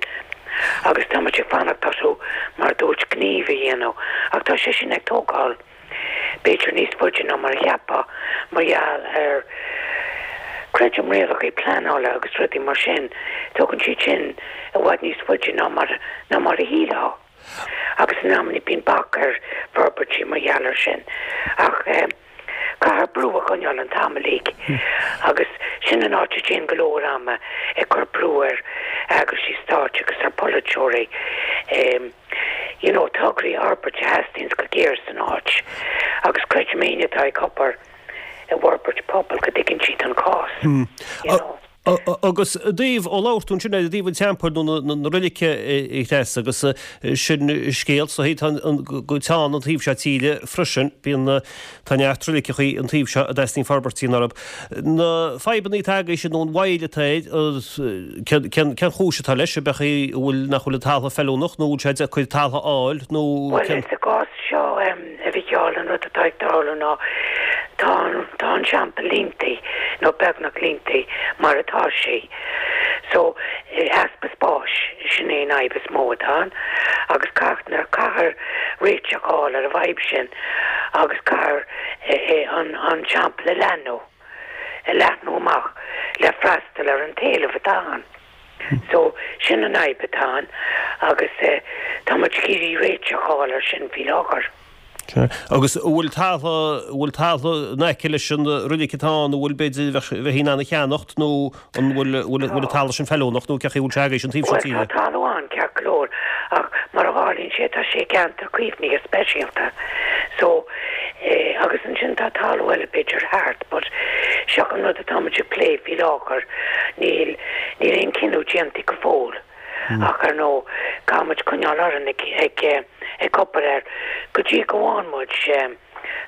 agus tá muid ag fanacht orthu mar a dúirt gníomh a dhéanamh ach tá sé sin ag tógáil b'fhéidir níos faide ná mar a cheapfá mar gheall ar creidim rialacha pleanála agus rudaí mar sin tógann siad sin i bhfad níos faide ná mar ná mar a shílfeá. agus in amannaí bíonn bac ar fhorbairtí mar gheall air sin. Ach caithfear brú a choinneáil an t-am uilig agus sin an áit a dtéann go leor ama ag cur brú ar eagraisí stáit agus ar pholaiteoirí you know tograí a fhorbairt a theastaíonns go géar san áit agus creidim éinne atá ag obair i bhforbairt pobail go dtuigeann siad an cás you know. Agus i dtaobh, ó labhair tú ansin ar i dtaobh an teampaill nó na roilice a Threasa agus sin scéal so tá an go teann an taobh seo tíre freisin, bíonn tá neart roiliceachaí an taobh seo a dteastaíonn forbairt orthu. Na fadhbanna atá agaibhse nó an mhoill atá air, cén cén chúis atá leis, ab é an bhfuil nach bhfuil an talamh feiliúnach nó bhfuil sé deacair talamh a fháil nó Bhuel sa gcás seo a Mhícheáil an rud atá ag tarlú ná Tá an, tá an teampall líontaí, nó beagnach líontaí, mar atá sé. So, easpa spáis, sin é an fhadhb is mó atá ann, agus caithfear, caithfear réiteach a fháil ar an bhfadhb sin agus caithfear an, an teampall a leathnú, a leathnú amach le freastal ar an t-éileamh atá ann. So, sin an fhadhb atá ann agus tá muid ag iarraidh réiteach a fháil air sin faoi láthair. Agus an bhfuil talamh, an bhfuil talamh in aice leis an roilig atá ann, an bhfuil b'fhéidir bheifí in ann a cheannacht nó an bhfuil, bhfuil, bhfuil an talamh sin feiliúnach nó cén chaoi a bhfuil sé agaibhse an taobh seo Bhuel, tíre? tá talamh ann ceart go leor ach mar a tharlaíonn sé tá sé i gceantar caomhnaithe speisialta so eh agus ansin tá talamh eile b'fhéidir thart but seo an rud atá muid ag plé faoi láthair níl, níl aon cinneadh déanta go fóill. Ach ar ndóigh, caithfidh muid coinneáil orainn ag ag obair air go dtí go bhfaigheann muid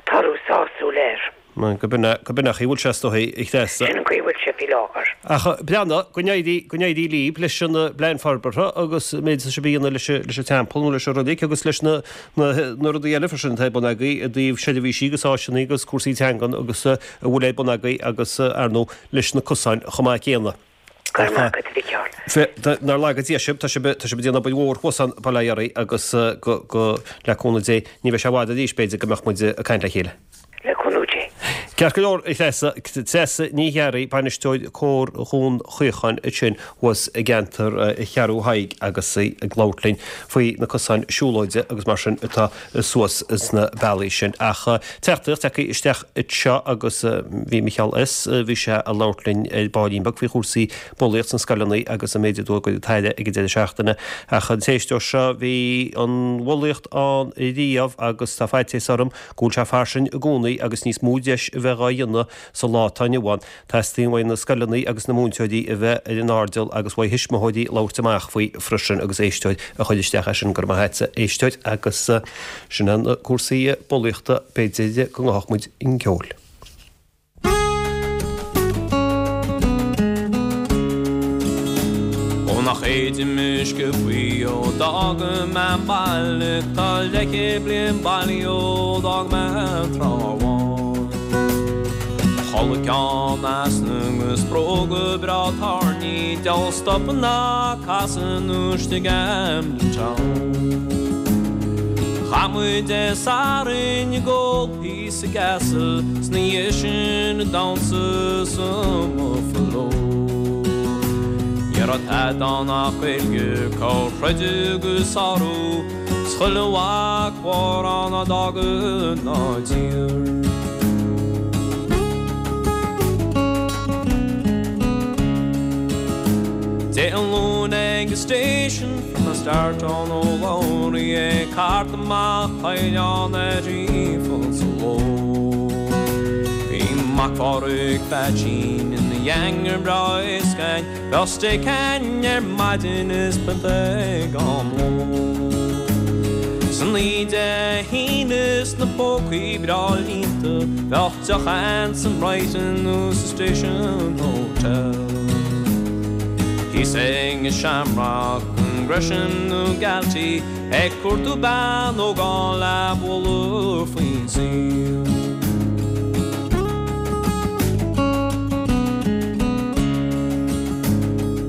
toradh sásúil air. Go b'in an chaoi a bhfuil sé is dóigh, a Threasa. Sin an chaoi a bhfuil sé faoi láthair. Ach breathnaigh, go n-éirí, go n-éirí libh leis an bplean forbartha agus an méid atá sibh a dhéanamh leis an, leis an teampall nó leis an roilig agus leis na, na, na rudaí eile freisin atá ar bun agaibh i dtaobh seirbhísí agus áiseanna agus cúrsaí teangan agus a bhfuil ar bun agaibh agus, ar ndóigh, leis na cosáin chomh maith céanna. Go raibh maith agat, a Mhícheáil. Nár laga Dia sibh, tá sibh, tá sibh ag déanamh obair mhór thuas ann, bail ó Dhia oraibh agus go, go, le cúnamh Dé, ní bheidh sé i bhfad arís, b'fhéidir, go mbeadh muid ag caint le chéile. Le cúnamh Dé. Ceart go leor, a Threasa, Treasa Ní Ghearraigh, bainisteoir Cór Dhún Chaocháin ansin thuas i gceantar Cheathrú Thaidhg agus í ag labhairt linn faoi na cosáin siúlóide agus mar sin atá suas sna bealaí sin. Ach teachtaireacht tagtha isteach anseo agus bhí Micheál S. bhí sé ag labhairt linn ar baillín beag faoi chúrsaí bulaíocht sna scoileanna agus an méid a dúirt an tAire ag an deireadh seachtaine. Ach an t-éisteoir seo bhí an bhulaíocht ann riamh agus tá faitíos orm go bhfuil sé fairsing i gcónaí agus níos mó deis a bheith dhá dhéanamh sa lá atá inniu ann. Teastaíonn uaidh na scoileanna agus na múinteoirí a bheith ar an airdeall agus uaidh thuismitheoirí labhairt amach faoi freisin agus éisteoir a chuir isteach é sin. Go raibh maith agat, a éisteoir, agus sin é na cúrsaí bulaíochta b'fhéidir go ngabhfadh muid chun ceoil. Ó nach fhéadaim uisce buí ó d'fhága mé an baile tá leathchéad bliain bailí ó d'fhág mé an Trá Bháin. Mo chulaith ceann easna agus bróga breá tairní diabhal stopadh ná casadh nuair istigh Camden Town. Chaith muid Dé Sathairn ag ól píosa Castle 's ina dhiaidh sin ag damhsa sa mBuffalo. Ní raibh tada ann ach Gaeilge, corr-throid agus sárú, 's chuile mhac mhór ann a d'fhág an tír. Dé an Luain ag an station fuair mé start ón Ó Labhraí ag cartadh amach caighdeán ar trí phunt sa ló. Bhí Mac Phádraig Pheaitsín ina gheanger breá éasc againn, bheadh steak againn ar maidin is pionta ag am lóin. San oíche Dé hAoine is na pócaí breá líonta, bheadh deoch againn san Brighton nó sa Station Hotel. Thíos ag an Shamrock, an Gresham nó Galtee, ag cuartú bean ógán le bualadh faoin saol.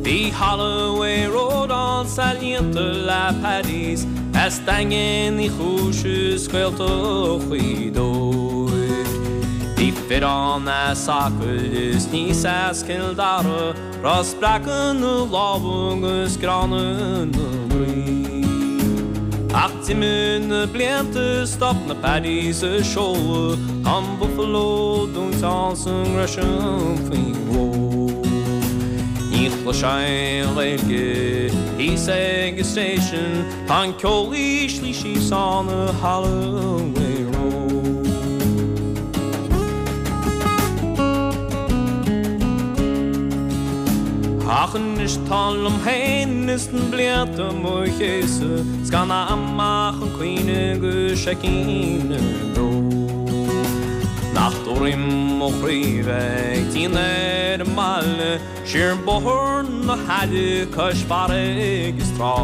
Bhí Holloway Road ansan líonta le Paddies, as Daingean Uí Chúis is Gaeltacht Ghaoth Dobhair. Bhí fir ann as Acaill is níos as Cill Dara, raibh spreacadh na lámha agus gránna na gcroí. Ach d'imigh na blianta, stop na Paddies a seoladh, tá an Buffalo dúnta ansan nGresham faoin ló. Ní chloisfeá aon Ghaeilge thíos ag an station, tá an ceol íslithe síos on the Holloway Road. Ach anois táim liom féin is na blianta mo chéasadh, 's gan am ach chun cuimhneamh go seicín ar an bród. Nach dóigh mo chroí bheith ag déanamh ar an mbaile, siar bóthar na haille cois farraige is trá.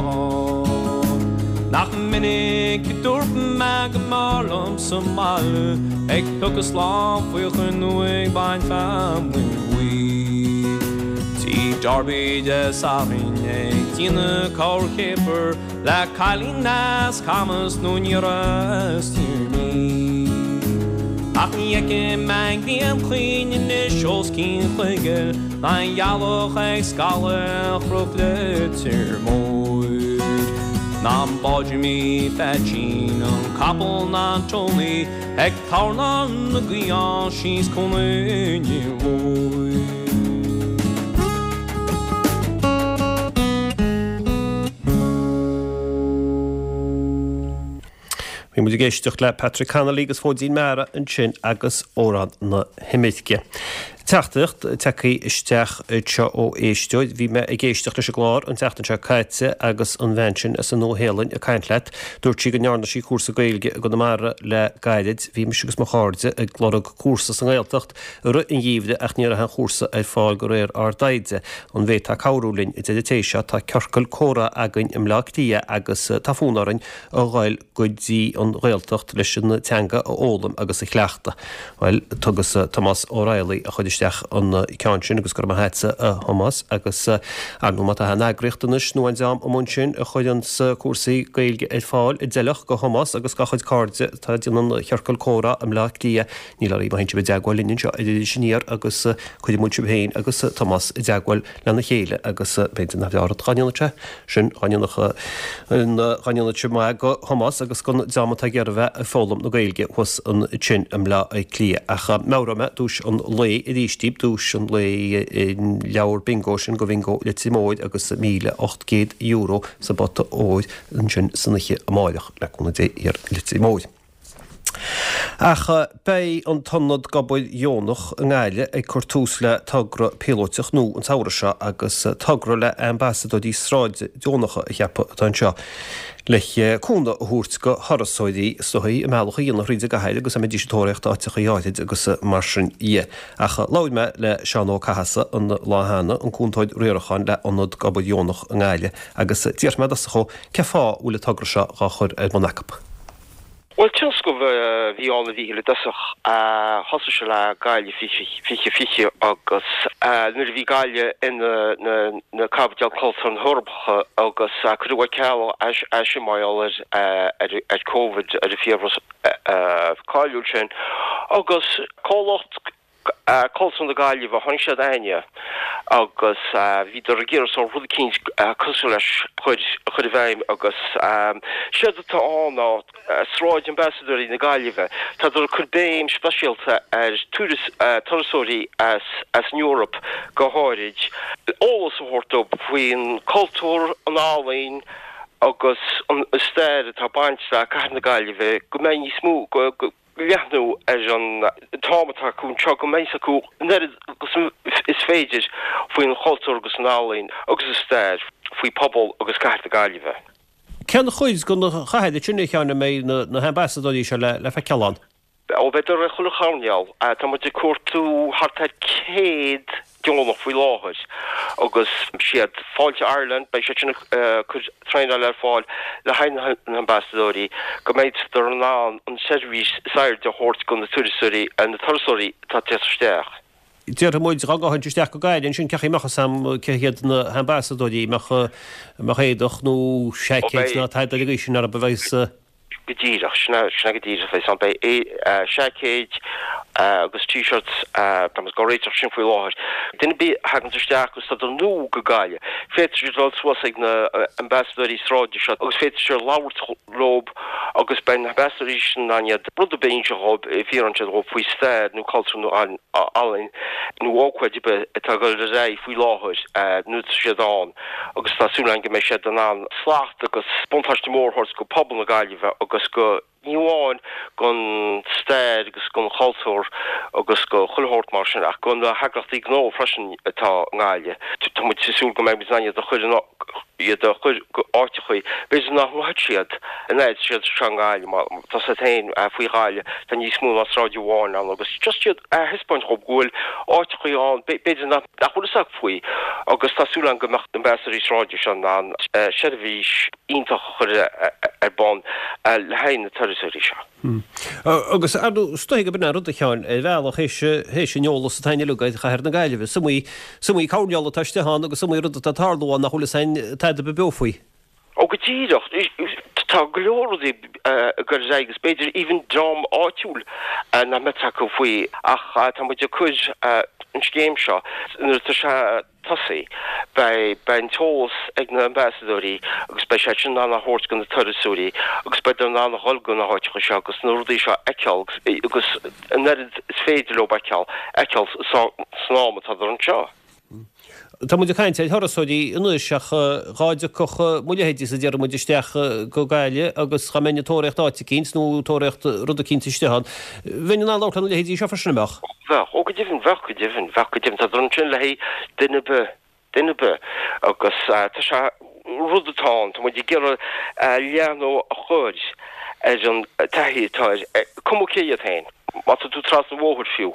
Nach minic a dúirt mé go mb'fhearr liom sa mbaile, ag piocadh slám faochain nó ag baint feamainn bhuí. Tigh Darby Dé Sathairn ag déanamh corrchéapar le cailín as Camas nó iníon as Tír an Fhia. Ach ní fheicim mé an ghrian chaoin anois os cionn Chuigéil, ná an ghealach ag scaladh ar Chnoc Leitir Móir. Ná an bád Jimí Pheaitsín, an capall ná an Tony, ag tairneán na gaoithe síos Cuan Fhine Mhóir. Bhí muid ag éisteacht le Patrick Connolly agus Fóidín Meara ansin agus Amhrán na hImirce. Teachtaireacht tagtha isteach anseo ó éisteoir. Bhí mé ag éisteacht leis an gclár an tseachtain seo caite agus an bhean sin as an Nua-Shéalainn ag caint leat. Dúirt sí go ndearna sí cúrsa Gaeilge i gConamara le gairid. Bhí mise agus mo chairde ag lorg cúrsa sa nGaeltacht i rith an gheimhridh ach ní raibh aon chúrsa ar fáil de réir ár dtaighde. An bhféadfá cabhrú linn? A deir an té seo, tá ciorcal comhrá againn i mBleá Cliath agus tá fonn orainn a ghoil go dtí an Ghaeltacht leis an teanga a fhoghlaim agus a chleachtadh. Bhuel, tugas Tomás Ó Raghallaigh a chuir isteach an ceann sin agus go raibh maith agatsa a Thomáis agus ar ndóigh má tá aon eagraíocht anois nó aon dream amuigh ansin a chuireanns cúrsaí Gaeilge ar fáil a d'fheilfeadh do Thomás agus dá chuid cairde atá ag déanamh an chiorcal comhrá i mBleá Cliath níl oraibh má théann sibh i dteagmháil linn anseo ar Iris Aniar agus cuirfidh muid sibh féin agus Tomás i dteagmháil lena chéile agus b'fhéidir nach bhfearr dá ndéanfadh sé sin dá ndéanfadh dá ndéanfadh sé maith do Thomás agus don dream atá ag iarraidh a bheith ag foghlaim na Gaeilge thuas ansin i mBleá Cliath. Ach meabhróidh mé duais an lae arís daoibh, duais an lae leabhar bingo sin go Bhingo Leitir Móir agus míle ocht gcéad euro sa bpota óir ansin san oíche amáireach le cúnamh Dé thiar i Leitir Móir. Ach beidh an tIonad d'Obair Dheonach i nGaillimh ag cur tús le togra píolóiteach nua an samhradh seo agus togra le ambasadóirí sráide deonacha a cheapadh atá anseo le cúnamh a thabhairt go thurasóirí is dóichí a mbealach a dhéanamh thríd an gcathair agus a mbeidís ag tóraíocht áiteachaí áithrid agus mar sin dhe. Ach labhair mé le Seán Ó Cathasaigh an lá cheana, an cúntóir riaracháin le Ionad d'Obair Dheonach i nGaillimh agus d'fhiafraigh mé i dtosach dhó cén fáth a bhfuil an togra seo dhá chur ar bun acu. Bhuel, tionscnamh a bhí ann a Mhíchíl i dtosach. Thosaigh sé le Gaillimh fiche fiche agus nuair a bhí Gaillimh ina na caipiteal cultúir na hEorpa agus cuireadh ar ceal é sin mar gheall ar Covid, ar an fiabhras cáiliúil sin agus comhlacht Cultúr na Gaillimhe, tháinig siad chugainne agus bhíodar ag iarraidh sórt rud eicínt cosúil leis a chur i bhfeidhm agus séard atá ann ná Sráid Ambasadóirí na Gaillimhe. Tádar ag cur béim speisialta ar turasóirí as an Eoraip go háirid, eolas a thabhairt dóibh faoin cultúr, an ealaín agus an stair atá ag baint le cathair na Gaillimhe, go mbeidh níos mó, go. leathnú ar an t-am atá acu anseo, go mbeidh acu an oiread agus is féidir faoin chultúr agus an ealaín agus an stair, faoi phobal agus cathair na Gaillimhe. Cén chuid den chathair sin, a Sheáin, a mbeidh na hambasadóirí seo le feiceáil ann? Ó, beidh ar chuile choirnéal. Tá muid ag cuartú thart ar céad deonach faoi láthair agus siad Fáilte Ireland, beidh siad sin ag cur traenáil ar fáil le haghaidh na n-ambasadóirí go mbeidh in ann an seirbhís is airde a thabhairt do na turasóirí na turasóirí atá ag teacht isteach. Déarfaidh muid dhá ngabhfainnse isteach go Gaillimh ansin cén chaoi a mbeadh fhios a'm cé hiad na hambasadóirí, mbeadh mbeadh éadach nó seaicéid ná tada ar an gcaoi sin orthu a bheas Go díreach, sin é, sin é go díreach a bheidh ann. Beidh seaicéid agus t-shirts, tá muid dhá réiteach sin faoi láthair. Duine ar bith a thaganns isteach agus tá nua go Gaillimh, féadfaidh siad dul suas ag na ambasadóirí sráide seo agus féadfaidh siad labhairt leo agus beidh na hambasadóirí sin in ann iad rud ar bith a inse dhóibh, fiafraíonn siad dhóibh faoi stair nó cultúr nó ealaín nó ócáid ar bith atá ag dul ar aghaidh faoi láthair nuair atá siad ann. agus tá súil againn go mbeidh siad in ann slacht agus buntáiste mór a thabhairt go pobal na Gaillimhe agus go, ní amháin gon stair agus gon chultúr agus go chuile shórt mar sin ach go na heagraíochtaí gnó freisin atá i nGaillimh. Tá muid ag súil go mbeidh muid in ann iad a chur in, iad a chur go áiteachaí b'fhéidir nach ngabhfaidh siad an fhad siad seo i nGaillimh mar tá a fhios agat féin faoi Ghaillimh tá níos mó ná sráid amháin ann agus just iad a thaispeáint dhóibh go bhfuil áiteachaí ann b'fhéidir nach nach bhfuil fhios acu faoi agus tá súil agam go mbeadh na ambasadóirí sráide seo in ann seirbhís iontach a chur ar bun le haghaidh na turasóirí seo. Agus ar ndóigh, is dóigh gurb in an rud, a Sheáin, ar bhealach, théis an eolas atá againn uilig ar chathair na Gaillimhe. Is iomaí, is iomaí coirnéal atá istigh ann agus is iomaí rud atá ag tarlú ann nach bhfuil fhios againn tada ar bith beo faoi. Ó go díreach. Tá go leor rudaí ag dul ar aghaidh agus b'fhéidir even dream áitiúil nach mbeadh fhios acu faoi ach tá muid ag cur an scéim seo nuair atá sé tosaithe beidh beidh an t-eolas ag na ambasadóirí agus beidh siad sin in ann a thabhairt go na turasóirí agus beidh in ann a dhul go na háiteacha seo agus na rudaí seo a fheiceáil agus an oiread is féidir leo a fheiceáil fheiceáil san am atá anseo. Tá muid ag caint ar thurasóirí anois ach dhá dtiocfadh mo leithéidísa déarfaidh muid isteach go Gaillimh agus dhá mbeinn ag tóraíocht áit eicínt nó tóraíocht rud eicínt istigh ann, bheinn in ann labhairt lena leithéidí seo freisin, an mbeadh? Bheadh, ó go deimhin, bheadh go deimhin, bheadh go deimhin. Tá ansin le haghaidh duine ar bith, duine ar bith agus tá sé, rud atá ann, tá muid ag iarraidh leathnú a chur ar an taithí atá ar, cuma cé iad féin. Má tá tú trasna an bhóthair fiú,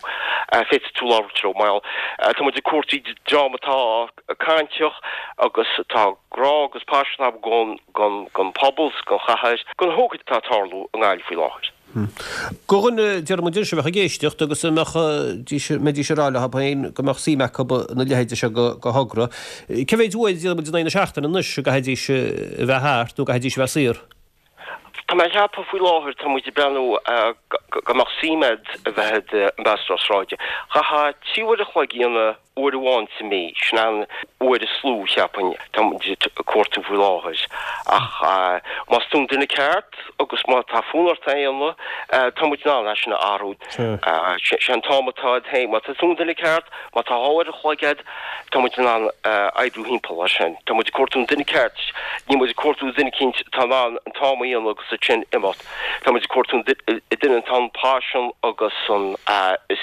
féadfaidh tú labhairt leo. Mar tá muid ag cuartú dream atá cainteach agus atá grá agus paisean acu don, don, don phobal 's don chathair, don hócáid atá ag tarlú i nGaillimh faoi láthair. Do dhuine, déarfaidh muid anois, a bheadh ag éisteacht agus a mbeadh, mbeidís ag rá leo féin go mbeadh suim acu ina leithéide seo de thogra, cé mhéid uair, déarfaidh muid, in aghaidh na seachtaine anois a gcaithfidís a bheith thart nó a gcaithfidís a bheith saor? Tá mé ag ceapadh faoi láthair, tá muid ag breathnú go mbeadh suim a'd a bheith i d'ambasadóir sráide. Chaithfeá trí uair a chloig a dhéanamh uair amháin sa mí, sin an uair is lú, cheapfainn, tá muid ag cuartú faoi láthair. Ach más tú an duine ceart agus má tá fonn ort é a dhéanamh, tá muid in ann é sin a athrú. Sé an t-am atá a'd féin, má tá tú an duine ceart, má tá dhá uair a chloig a'd, tá muid in ann oibriú thimpeall air sin. Tá muid ag cuartú an duine ceart, níl muid ag cuartú duine eicínt atá in ann an t-am a dhéanamh agus ansin imeacht. Tá muid ag cuartú an duine atá an paisean agus an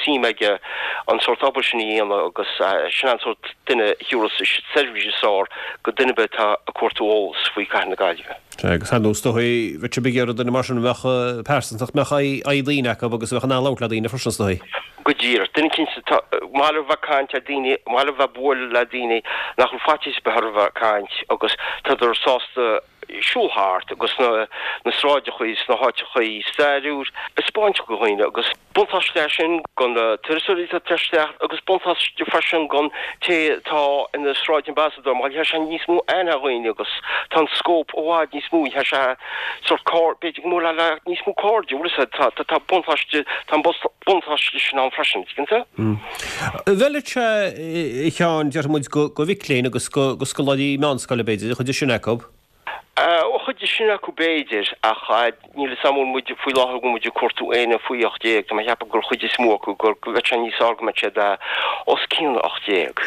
suim aige an sórt obair sin a dhéanamh agus sin an sórt duine a thiúrfas seirbhís is fearr go duine ar bith atá ag cuartú eolas faoi Chathair na Gaillimhe. Sea, agus ar ndóigh is dóichí, bheadh sibh ag iarraidh duine mar sin a bheadh pearsantacht, mbeadh aghaidh daoine acu agus a bheadh in ann labhairt le daoine freisin is dóichí. Go díreach. Duine eicínt atá maith leo bheith ag caint le daoine, maith leo bheith ag bualadh le daoine nach bhfuil faitíos ar bith orthu bheith ag caint agus tádar sásta siúl thart agus na na sráideachaí is na háiteachaí stairiúil a 'speáint go dhaoine agus buntáiste é sin go na turasóirí atá ag teacht isteach agus buntáiste freisin gon té atá ina sráid ambassador mar gheobhaidh sé níos mó aithne ar dhaoine agus tá an scóip i bhfad níos mó gheobhaidh sé sórt cairde b'fhéidir go mbuailfeá le níos mó cairde bhfuil a fhios agat tá tá buntáiste tá an buntáiste sin ann freisin tuigeann tú? An bhfeilfeadh sé a Sheáin déarfaidh muid go go mhic léinn agus go go scoláirí meánscoile b'fhéidir an chuid is sine acu? An chuid is sine acu b'fhéidir, ach níl fhios a'm an bhfuil muid faoi láthair go bhfuil muid ag cuartú éinne faoi ocht déag, tá mé ag ceapadh gur chuid is mó acu gur go bheadh sé níos fearr go mbeadh siad os cionn ocht déag.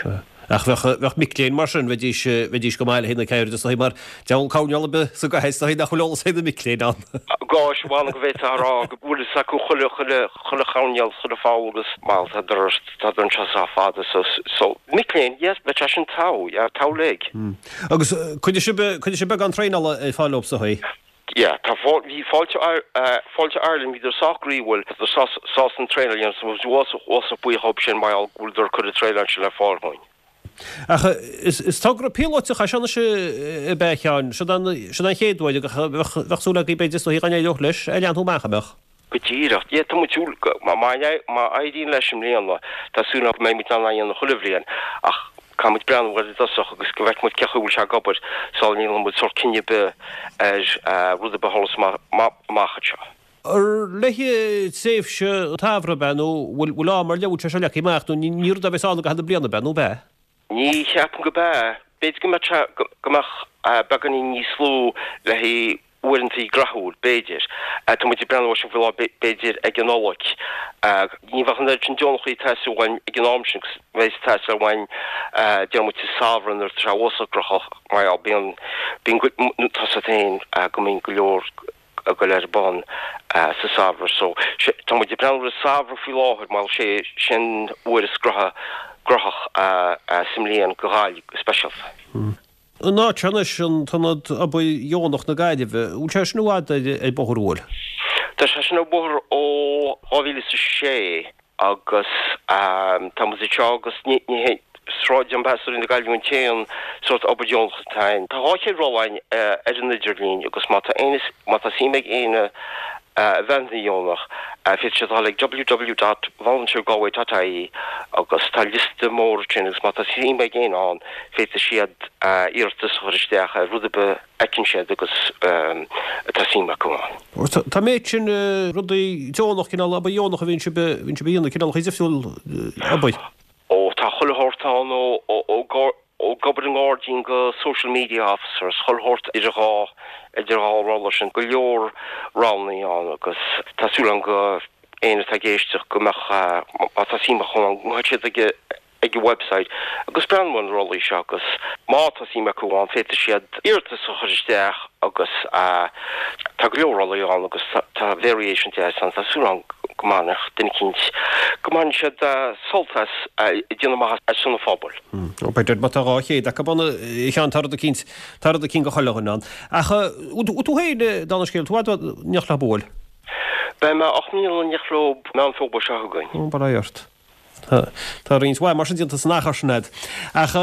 Ach bheadh, bheadh mic léinn mar sin, bheidís, bheidís go maith le haghaidh na ceirde is dóichí mar deabhal coirnéal ar bith sa gcathair is dóichí nach bhfuil eolas ag na mic léinn ann. Gosh, m'anam go bhféadfá a rá go bhfuil fhios acu chuile, chuile, chuile choirnéal, chuile pholl agus bhuel tádar, tádar anseo sách fada so, so mic léinn, yes, bheadh sé sin togha, yeah, togha uilig. Agus cuirfidh sibh, cuirfidh sibh beagán traenála ar fáil dóibh is dóichí? Yeah, tá bhí Fáilte Fáilte Ireland, bhíodar sách groíúil, bhíodar sásta an traenáil a dhéanamh, so bhí uasach buíoch dhóibh sin mar gheall go bhfuileadar ag cur an traenáil sin ar fáil dhúinn. Ach is togra píolótach é seo anois ab ea a Sheáin? Siod an chéad uair agus bheadh súil agaibh b'fhéidir is dóichí dá n-éireodh leis, é a leathnú amach, an mbeadh? Go díreach. Yeah, tá muid súil go, má éiríonn leis i mbliana, tá súil agam go mbeidh muid in ann é a dhéanamh chuile bhliain, ach caithfidh muid breathnú air i dtosach agus go bhfeicfidh muid cén chaoi a bhfuil sé ag obair sula ndéanann muid sórt cinneadh ar bith ar rud ar bith a tharlós amach anseo. Ar le haghaidh tréimhse an tsamhraidh ab ea nó bhfuil am ar leith, bhfuil sé seo leagtha amach nó ní rud a bheas ann i gcaitheamh na bliana ab ea nó ab ea? Ní cheapaim go b'ea. B'fhéidir go mbeadh sé, go mbeadh beagáinín níos lú le haghaidh uaireanta graitheúil, b'fhéidir. Tá muid ag breathnú air sin faoi láthair, b'fhéidir ag an Nollaig. Ní bheadh an oiread sin deonachaí ag teastáil uainn ag an am sin agus bheidh ag teastáil uainn, deir muid sa samhradh nuair atá sé uasach graitheach mar gheall bíonn, bíonn, tá a fhios agat féin go mbíonn go leor ag goil ar bun sa samhradh so tá muid ag breathnú ar an samhradh faoi láthair mar sé sin uair is graitheach graitheach sa mbliain go Ghaillimh go speisialta. An áit seo anois, an tIonad Obair Dheonach na Gaillimhe, bhfuil sé sin i bhfad ar bóthar an bhfuil? Tá sé sin ar bóthar ó dhá mhíle is a sé. Agus tá muid anseo agus ní hé Sráid Ambasadóirí na Gaillimhe an t-aon sórt obair dheonach atá ann. Tá dhá chéad ról ann ar an idirlíon agus má tá éinne, má tá suim ag éinne a bheith ina dheonach, féadfaidh siad dul ag www dot volunteergalway dot ie agus tá liosta mór ansin agus má tá suim ag éinne ann féadfaidh siad iarratas a chur isteach ar rud ar bith fheiceann siad agus atá suim acu ann. Tá an méid sin rudaí deonach, cineál obair dheonach a bhíonn sibh a dhéanamh, cineálacha difriúil obair. Ó, tá chuile shórt ann, ó ag obair i ngairdín go social media officers, chuile shórt idir dhá, idir dhá rolla sin, go leor roghannaí ann agus tá súil agam go éinne atá ag éisteacht go mbeadh, má tá suim acu ann, go ngabhfaidh siad ag ag an website agus breathnú ar na rollaí seo agus má tá suim acu ann féadfaidh siad iarratas a chur isteach agus tá go leor rollaí ann agus tá variation deas ann, tá súil agam go mbainfeadh duine eicínt, go mbainfidh siad sult as ag déanamh maitheas ar son an phobail. Ó b'fhéidir má tá dhá chéad acu ann a Sheáin, tá rud eicínt, tá rud eicínt go chuile dhuine ann. Ach tú féin, dála an scéil, tú i bhfad in éineacht leo an bhfuil? Beidh mé ocht mbliana in éineacht leo Meán Fómhair seo chugainn. Ó, bail ó Dhia ort. Tá roinnt mhaith mar sin déanta san achar sin a'd. Ach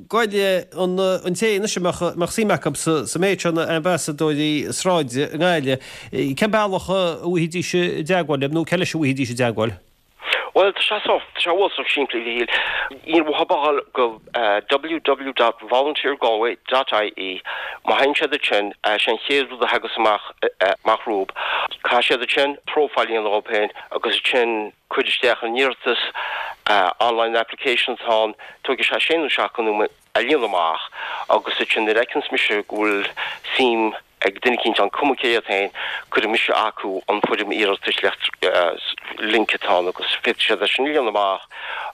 goile an an té anois a mbeadh mbeadh suim acu sa sa méid seo na ambasadóirí sráide i nGaillimh, cén bealach a bhfaighidís i dteagmháil libh nó cé leis a bhfaighidís i dteagmháil? Bhuel, tá sé seo, tá sé uafásach simplí, a Mhíchíl. Ní bheadh a dhul go www dot volunteergalway dot ie. Má théann siad ansin, sé an chéad rud a thagas amach amach rompu. Caithfidh siad ansin profile a dhéanamh dhóibh féin agus ansin cuir isteach an iarratas, online application atá ann, tógfaidh sé sé nó seacht nóiméad a líonadh amach agus ansin nuair a fheiceanns mise go bhfuil suim ag duine eicínt ann, cuma cé hiad féin, cuirfidh mise acu an foirm iarratais link atá ann agus féadfaidh siad é sin a líonadh amach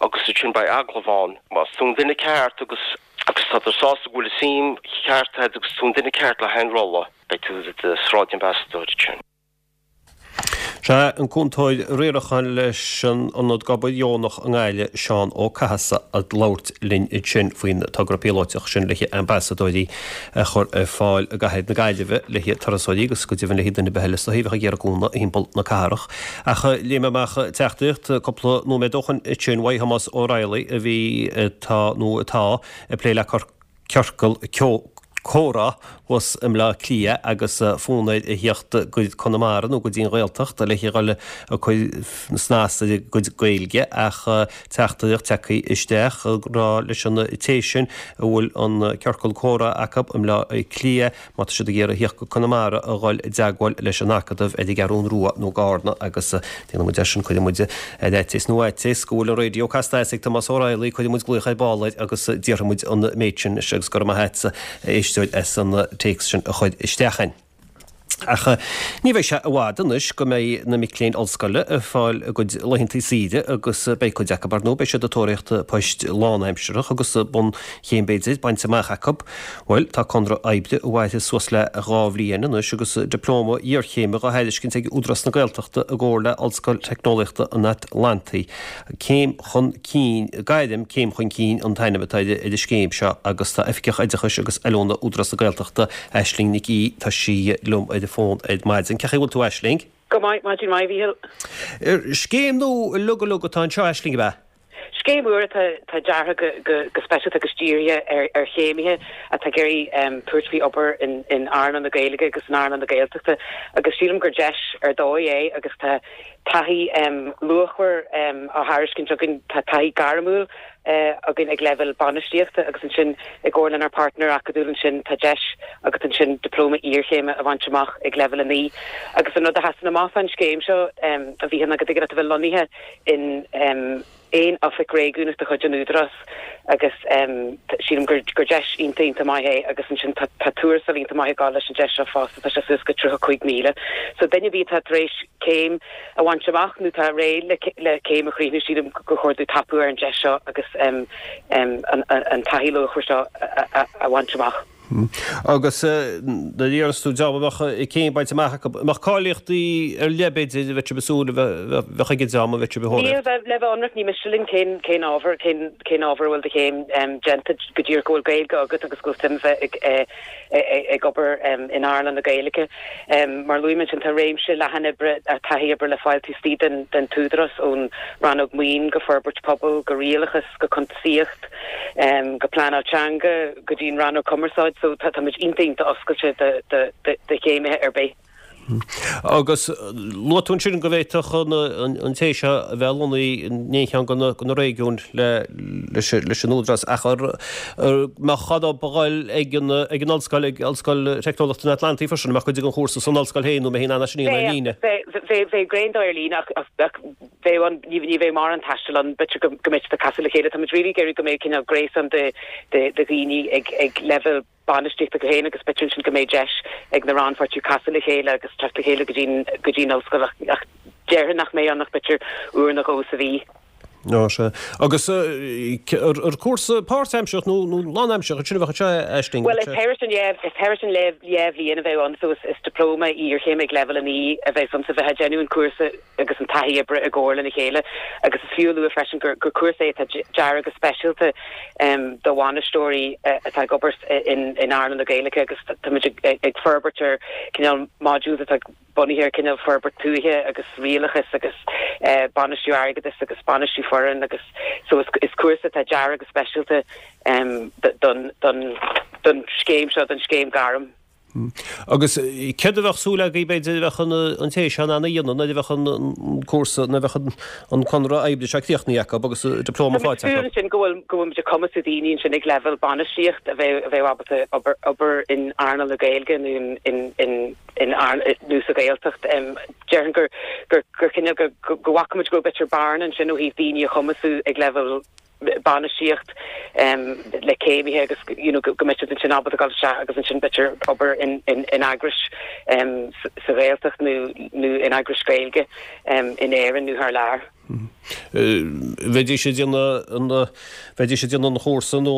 agus ansin beidh agallamh ann. Más tú an duine ceart agus agus tá tú sásta go bhfuil an suim cheart agat agus tú an duine ceart le haghaidh an rolla, beidh tú i do sráid-ambasadóir ansin. Sea, an Cúntóir Riaracháin leis an Ionad Obair Dheonach i nGaillimh, Seán Ó Cathasaigh, ag labhairt linn ansin faoin togra píolóiteach sin le haghaidh ambasadóirí a chur ar fáil i gcathair na Gaillimhe le haghaidh turasóirí agus go deimhin le haghaidh duine ar bith eile is dóichí a bheadh ag iarraidh cúnamh thimpeall na cathrach. Ach léigh mé amach teachtaireacht cúpla nóiméad ó shin ansin uaidh Thomás Ó Raghallaigh a bhí, atá nó atá ag plé le ciorcal comhrá thuas i mBleá Cliath agus fonn air a thíocht go Conamara nó go dtí an Ghaeltacht le dhul ag cur snas ar a gcuid Gaeilge ach teachtaireacht tagtha isteach ag rá leis an té sin a bhfuil an ciorcal comhrá acu i mBleá Cliath má tá siad ag iarraidh a thíocht go Conamara a dhul i dteagmháil leis an Acadamh ar an gCeathrún Rua nó i gCarna agus déanfaidh muid é sin, cuirfidh muid ar fhaitíos nó fhaitíos go bhfuil an raidió casta as ag Tomás Ó Raghallaigh, cuirfidh muid glaoch ar ball air agus déarfaidh muid an méid sin leis agus go raibh maith agatsa a éisteoir as an téacs sin a chur isteach a'inn. Ach ní bheidh sé i bhfad anois go mbeidh na mic léinn ollscoile ag fáil a gcuid laethanta saoire agus beidh cuid acu, ar ndóigh, beidh siad ag tóraíocht poist lánaimseartha agus bunchéim b'fhéidir bainte amach acu. Bhuel, tá conradh oibre a mhairfidh suas le dhá bhliain anois agus dioplóma iarchéime dhá thairiscint ag Údarás na Gaeltachta i gcomhar le Ollscoil Teicneolaíochta an Atlantaigh. Céim chun cinn, Gairm Céim Chun Cinn an t-ainm atá ar an scéim seo agus tá Oifigeach Oideachais agus Oiliúna Údarás na Gaeltachta, Aisling Nic Aoidh, tá sí liom ar an bhfón ar maidin. Cén chaoi a bhfuil tú Aisling? Go maith, maidin mhaith, a Mhíchíl. Scéim nua uilig uilig atá anseo Aisling, ab ea? Scéim úr atá atá deartha go go go speisialta agus dírithe ar ar chéimithe atá ag iarraidh tabhairt faoi obair in in earnáil na Gaeilge agus in earnáil na Gaeltachta agus sílim gur deis ar dóigh é agus tá taithí luachmhar á thairiscint againn, tá taithí gairmiúil againn ag leibhéal bainistíochta agus ansin i gcomhar lenár páirtnéir acadúil ansin tá deis agat ansin dioplóma iarchéime a bhaint amach ag leibhéal a naoi. Agus an rud a sheasann amach fán scéim seo, a Mhíchíl, ná go dtig leat a bheith lonnaithe in aon oifig réigiúnach de chuid an Údarás agus sílim gur gur deis iontach iontach maith é agus ansin tá tá tuarastal iontach maith ag gabháil leis an deis seo fosta, tá sé suas go tríocha cúig míle. So duine ar bith atá tar éis céim a bhaint amach nó atá réidh le le céim a chríochnú sílim gur chóir dóibh tapú ar an deis seo agus an an taithí luachmhar seo a a bhaint amach. Agus nuair a deireanns tú dá mbeadh céim bainte amach acu, an mbeadh cáilíochtaí ar leith b'fhéidir a bheadh sibh ag súil a bheadh ag an dream a bheadh sibh a Níl, le bheith ionraic, ní miste linn cén cén ábhar, cén cén ábhar a bhfuil do chéim déanta, go díreach go bhfuil Gaeilge agat agus go bhfuil suim bheith ag ag obair in earnáil na Gaeilge. Mar a luaigh mé ansin, tá réimse leathan oibre, taithí oibre le fáil taobh istigh den den t-údarás, ón rannóg maoin go forbairt pobail go rialachas go cuntasaíocht go pleanáil teanga go dtí an rannóg cumarsáid so tá muid iontach iontach oscailte do do do chéimithe ar bith. Agus luaigh tú ansin go bhféadfadh an té seo a bheith lonnaithe in aon cheann de na réigiúin leis an Údarás ach an mbeadh cead dóibh a dhul ag an ollscoil, ag Ollscoil Teicneolaíochta an Atlantaigh freisin, an mbeadh cuid den chúrsa san ollscoil féin nó an mbeidh in ann é sin a dhéanamh ar líne? Bheadh, bheadh ar líne ach bheadh an, ní bheadh mórán taistil ann, b'fhéidir go mbeidh siad ag casadh le chéile. Tá muid really ag iarraidh go mbeidh cineál gréasán de de dhaoine ag ag leibhéal bainistíochta go féin agus b'fhéidir ansin go mbeidh deis ag na rannpháirtithe casadh le chéile agus teacht le chéile go dtí go dtí an ollscoil ach ach déarfainn nach mbeidh ann ach b'fhéidir uair nó dhó sa mhí. Ó sea. Agus ar cúrsa páirtaimseartha nó nó lánaimseartha sin a bheadh anseo, Aisling? Bhuel, is thairis an is thairis an dhá bhliain a bheadh ann so is is dioplóma iarchéime ag leibhéal a naoi a bheadh ann so bheifeá ag déanamh an cúrsa agus an taithí oibre i gcomhar lena chéile agus is fiú a lua freisin gur gur cúrsa é atá deartha go speisialta do bhainisteoirí atá ag obair in in earnáil na Gaeilge agus táimid ag ag forbairt ar cineál modules atá bunaithe ar cineál forbairt tuaithe agus rialachas agus bainistiú airgeadais agus bainistiú foireann agus so is is cúrsa atá deartha go speisialta don don don scéim seo don scéim gairm. Agus céard a bheadh súil agaibh b'fhéidir a bheadh an té seo in ann a dhéanamh nuair a bheadh an cúrsa, nuair a bheadh an conradh oibre seo críochnaithe acu agus dioplóma faighte acu? Tá muid ag súil ansin go bhfuil go bhfuil muid ag cumasú daoine ansin ag leibhéal bainistíocht a bheidh a bheidh ábalta obair obair in earnáil na Gaeilge nó in in in in nó sa Ghaeltacht. Déarfainn gur gur gur cineál go go bhfaca muid go raibh b'fhéidir bearna ansin ó thaobh daoine a chumasú ag leibhéal bainistíocht le céimithe agus you know go mbeidh siad ansin ábalta dul isteach agus ansin b'fhéidir obair in in in eagrais sa Ghaeltacht nó nó in eagrais Gaeilge in Éirinn nó thar lear. Bheidís ag déanamh an bheidís ag déanamh an chúrsa nó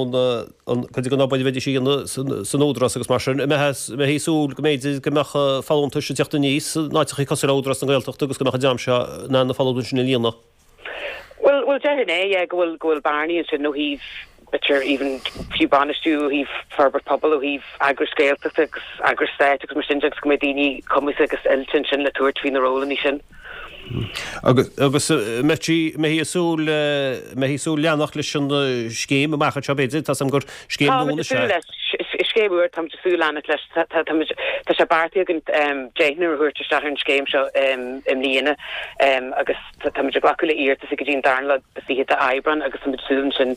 an cuid den obair a bheidís a dhéanamh san Údarás agus mar sin, an mbeifí ag súil go mb'fhéidir go mbeadh folúntais ag teacht aníos in áiteachaí cosúil le Údarás na Gaeltachta agus go mbeadh an dream seo in ann na folúntais sin a líonadh? Bhuel, bhuel déarfainn é, yeah, go bhfuil, go bhfuil bearnaí ansin ó thaobh, b'fhéidir even fiú bainistiú, ó thaobh forbairt pobail, ó thaobh eagrais Gaeltachta agus eagrais stáit agus mar sin de agus go mbeidh daoine cumasaithe agus oilte ansin le tabhairt faoi na rólanna sin. Agus, agus mbeifí, mbeifí ag súil, mbeifí ag súil leanacht leis an scéim amach anseo b'fhéidir, tá 's agam gur scéim nua anois é. Táimid ag súil leis, is scéim úr, táimid ag súil leanacht leis, tá, tá, táimid, tá sé beartaithe againn deichniúr a thabhairt isteach ar an scéim seo i mbliana agus, Táimid ag glacadh le hiarratais go dtí an darna lá is fiche d'Aibreán agus táimid ag súil ansin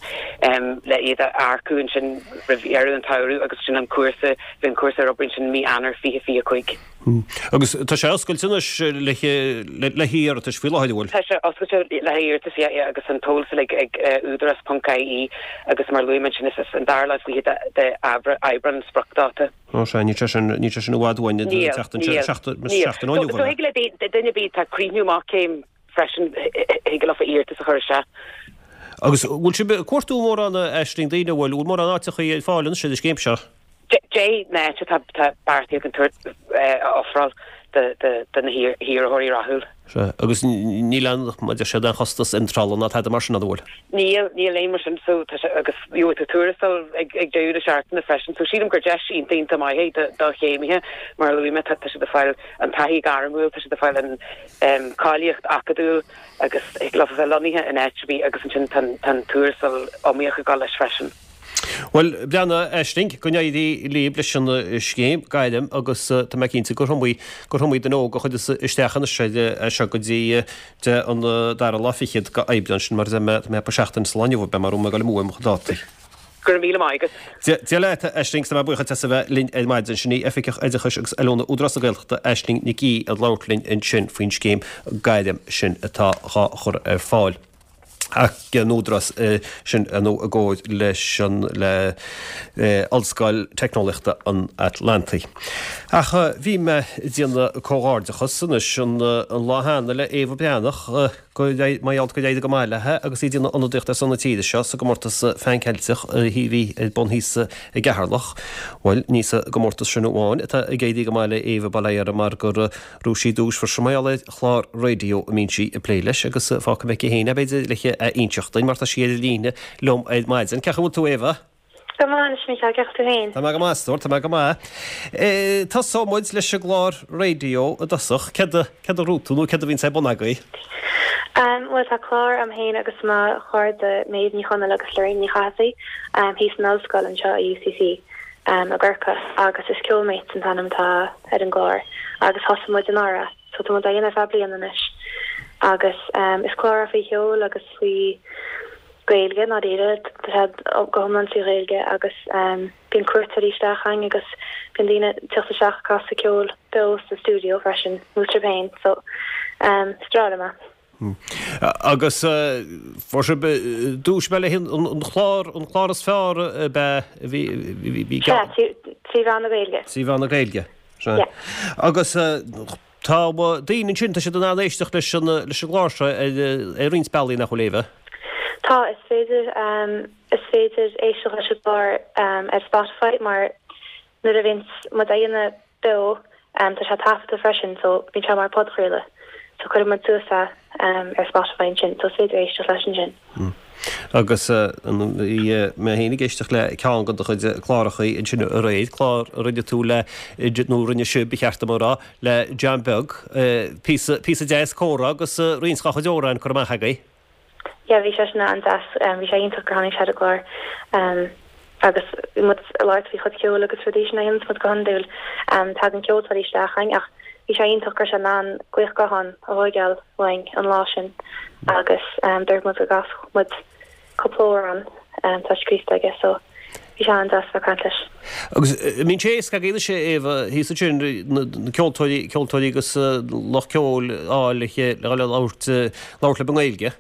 le iad a earcú ansin roimh dheireadh an tsamhraidh agus sin an cúrsa, bheidh an cúrsa ar obair ansin mí Eanáir fiche fiche cúig. Agus tá sé oscailte anois le hiarratais faoi láthair, an bhfuil? Tá sé oscailte le hiarratais, yeah, yeah, agus an t-eolas uilig ag údarás ponc ie agus mar a luaigh mé ansin is an dara lá is fiche d'Aibreán an spriocdháta. Ó sea, níl sé sin, níl sé sin i bhfad uainn, Níl, seachtain, níl, seachtain, níl. seachtain ó inniu, So, so an ea? thig le duine ar bith atá ag críochnú amach céim freisin, thig leofa iarratas a chur isteach. Agus bhfuil sibh ag cuartú mórán, a Aisling, daoine, an bhfuil, bhfuil mórán áiteachaí ar fáil anois ar an scéim seo? Deich n-áit atá, tá beartaithe againn tabhairt, a ofráil do, do, do na hiarrthóirí rathúil. Sea, agus níl aon, mar a deir siad, aon chostas iontrála ná tada mar sin, an bhfuil? Níl, níl aon mar sin, so tá sé, agus gheobhaidh tú tuarastal ag, ag deireadh na seachtaine freisin, so sílim gur deis iontach, iontach maith é do, do chéimithe, mar a luaigh mé, tá, tá siad ag fáil an taithí ghairmiúil, tá siad ag fáil an em, cáilíocht acadúil agus thig leo a bheith lonnaithe in áit ar bith agus ansin tá an, tá an tuarastal iomaíoch ag dul leis freisin. Bhuel, breathnaigh, Aisling, go n-éirí libh leis an scéim gairm agus tá mé cinnte gur iomaí, gur iomaí duine óg a chuirfeas isteach anois air seo go dtí an dara lá fichead de Aibreán sin mar a deir mé, tá mé ag seachtain sa lá inniu, beidh mé ag dul amú ar mo chuid dátaí. Go raibh míle maith agat. Dia leat, a Aisling, tá mé buíoch duit as a bheith linn ar maidin. Sin í Oifigeach Oideachais agus Oiliúna Údarás na Gaeltachta, Aisling Nic Aoidh, ag labhairt linn ansin faoin scéim gairm sin atá dhá chur ar fáil. ag an Údarás sin nó i gcomhar leis an le Ollscoil Teicneolaíochta an Atlantaigh. Ach bhí mé ag déanamh comhghairdeachas anois an lá cheana le Éabha Breathnach go mar gheall gur éirigh go maith léi agus í ag déanamh ionadaíocht ar son na tíre seo sa gcomórtas Phan Ceilteach a bhí ar bun thíos i gCeatharlach. Bhuel, ní sa gcomórtas sin amháin atá ag éirí go maith le Éabha bail ó Dhia uirthi mar gur Ghnóthaigh sí duais freisin mar gheall ar chlár raidió a mbíonn sí ag plé leis agus fágfaidh mé aici féin é b'fhéidir le a inseacht duinn mar tá sí ar an líne liom ar maidin. Cén chaoi a bhfuil tú Éabha? Go maith anois Micheál, cén chaoi tú féin? Tá mé go maith a stór, tá mé go maith. Tosóidh muid leis an gclár raidió i dtosach. Céard a, céard a ghnóthaigh tú nó céard a bhíonn ar bun agaibh? Bhuel tá clár a'm féin agus mo chairde Méabh Ní Chonaill agus Lorraine Ní Chathasaigh thíos san ollscoil anseo i UCC. i gCorcaigh agus is Ceol Mates an t-ainm atá ar an gclár agus thosaigh muid anuraidh so tá muid á dhéanamh ar feadh bliana anois agus is clár é faoi cheol agus faoi Ghaeilge i ndáiríre, tá sé go hiomlán trí Ghaeilge agus bíonn cuairteoirí isteach againn agus bíonn daoine ag teacht isteach ag casadh ceoil beo sa stiúideo freisin nó trib féin so is breá liom é. Agus fuair sibh duais le an chlár, an clár is fearr ab ea a bhí, bhí, Sea, trí mheán na Gaeilge. Trí mheán na Gaeilge, sea. Agus tá daoine ansin, tá siad in ann éisteacht leis an, leis an gclár seo ar, ar roinnt bealaí nach bhfuil, Éabha? Tá, is féidir, is féidir éisteacht leis an gclár ar Spotify mar nuair a bhíonns muid á dhéanamh beo tá sé taifeadta freisin so bíonn sé mar podchraoladh so cuireann muid suas é ar Spotify ansin so is féidir éisteacht leis ansin. Agus bhí mé féin ag éisteacht le ceann de do chuid clárachaí ansin aréir, clár a rinne tú le, nó rinne sibh, ba cheart dom a rá, le John Beag. Píosa, píosa deas comhrá agus roinnt dá chuid amhrán curtha amach agaibh. Yeah, bhí sé sin an-deas. Bhí sé iontach gur tháinig sé ar an gclár. Agus bhí muid ag labhairt faoi chuid ceoil agus rudaí sin a dhéananns muid go hiondúil. Tagann ceoltóirí isteach chugainn ach bhí sé iontach go raibh sé in ann glaoch gutháin a thóigeáil uainn an lá sin agus dúirt muid go gcasfadh muid cúpla amhrán atá scríofa aige so bhí sé an-deas bheith ag caint leis. Agus an mbíonn sé éasca agaibh anois a Éabha thíos ansin na ceoltóirí, ceoltóirí agus lucht ceoil a fháil le le labhairt labhairt libh i nGaeilge?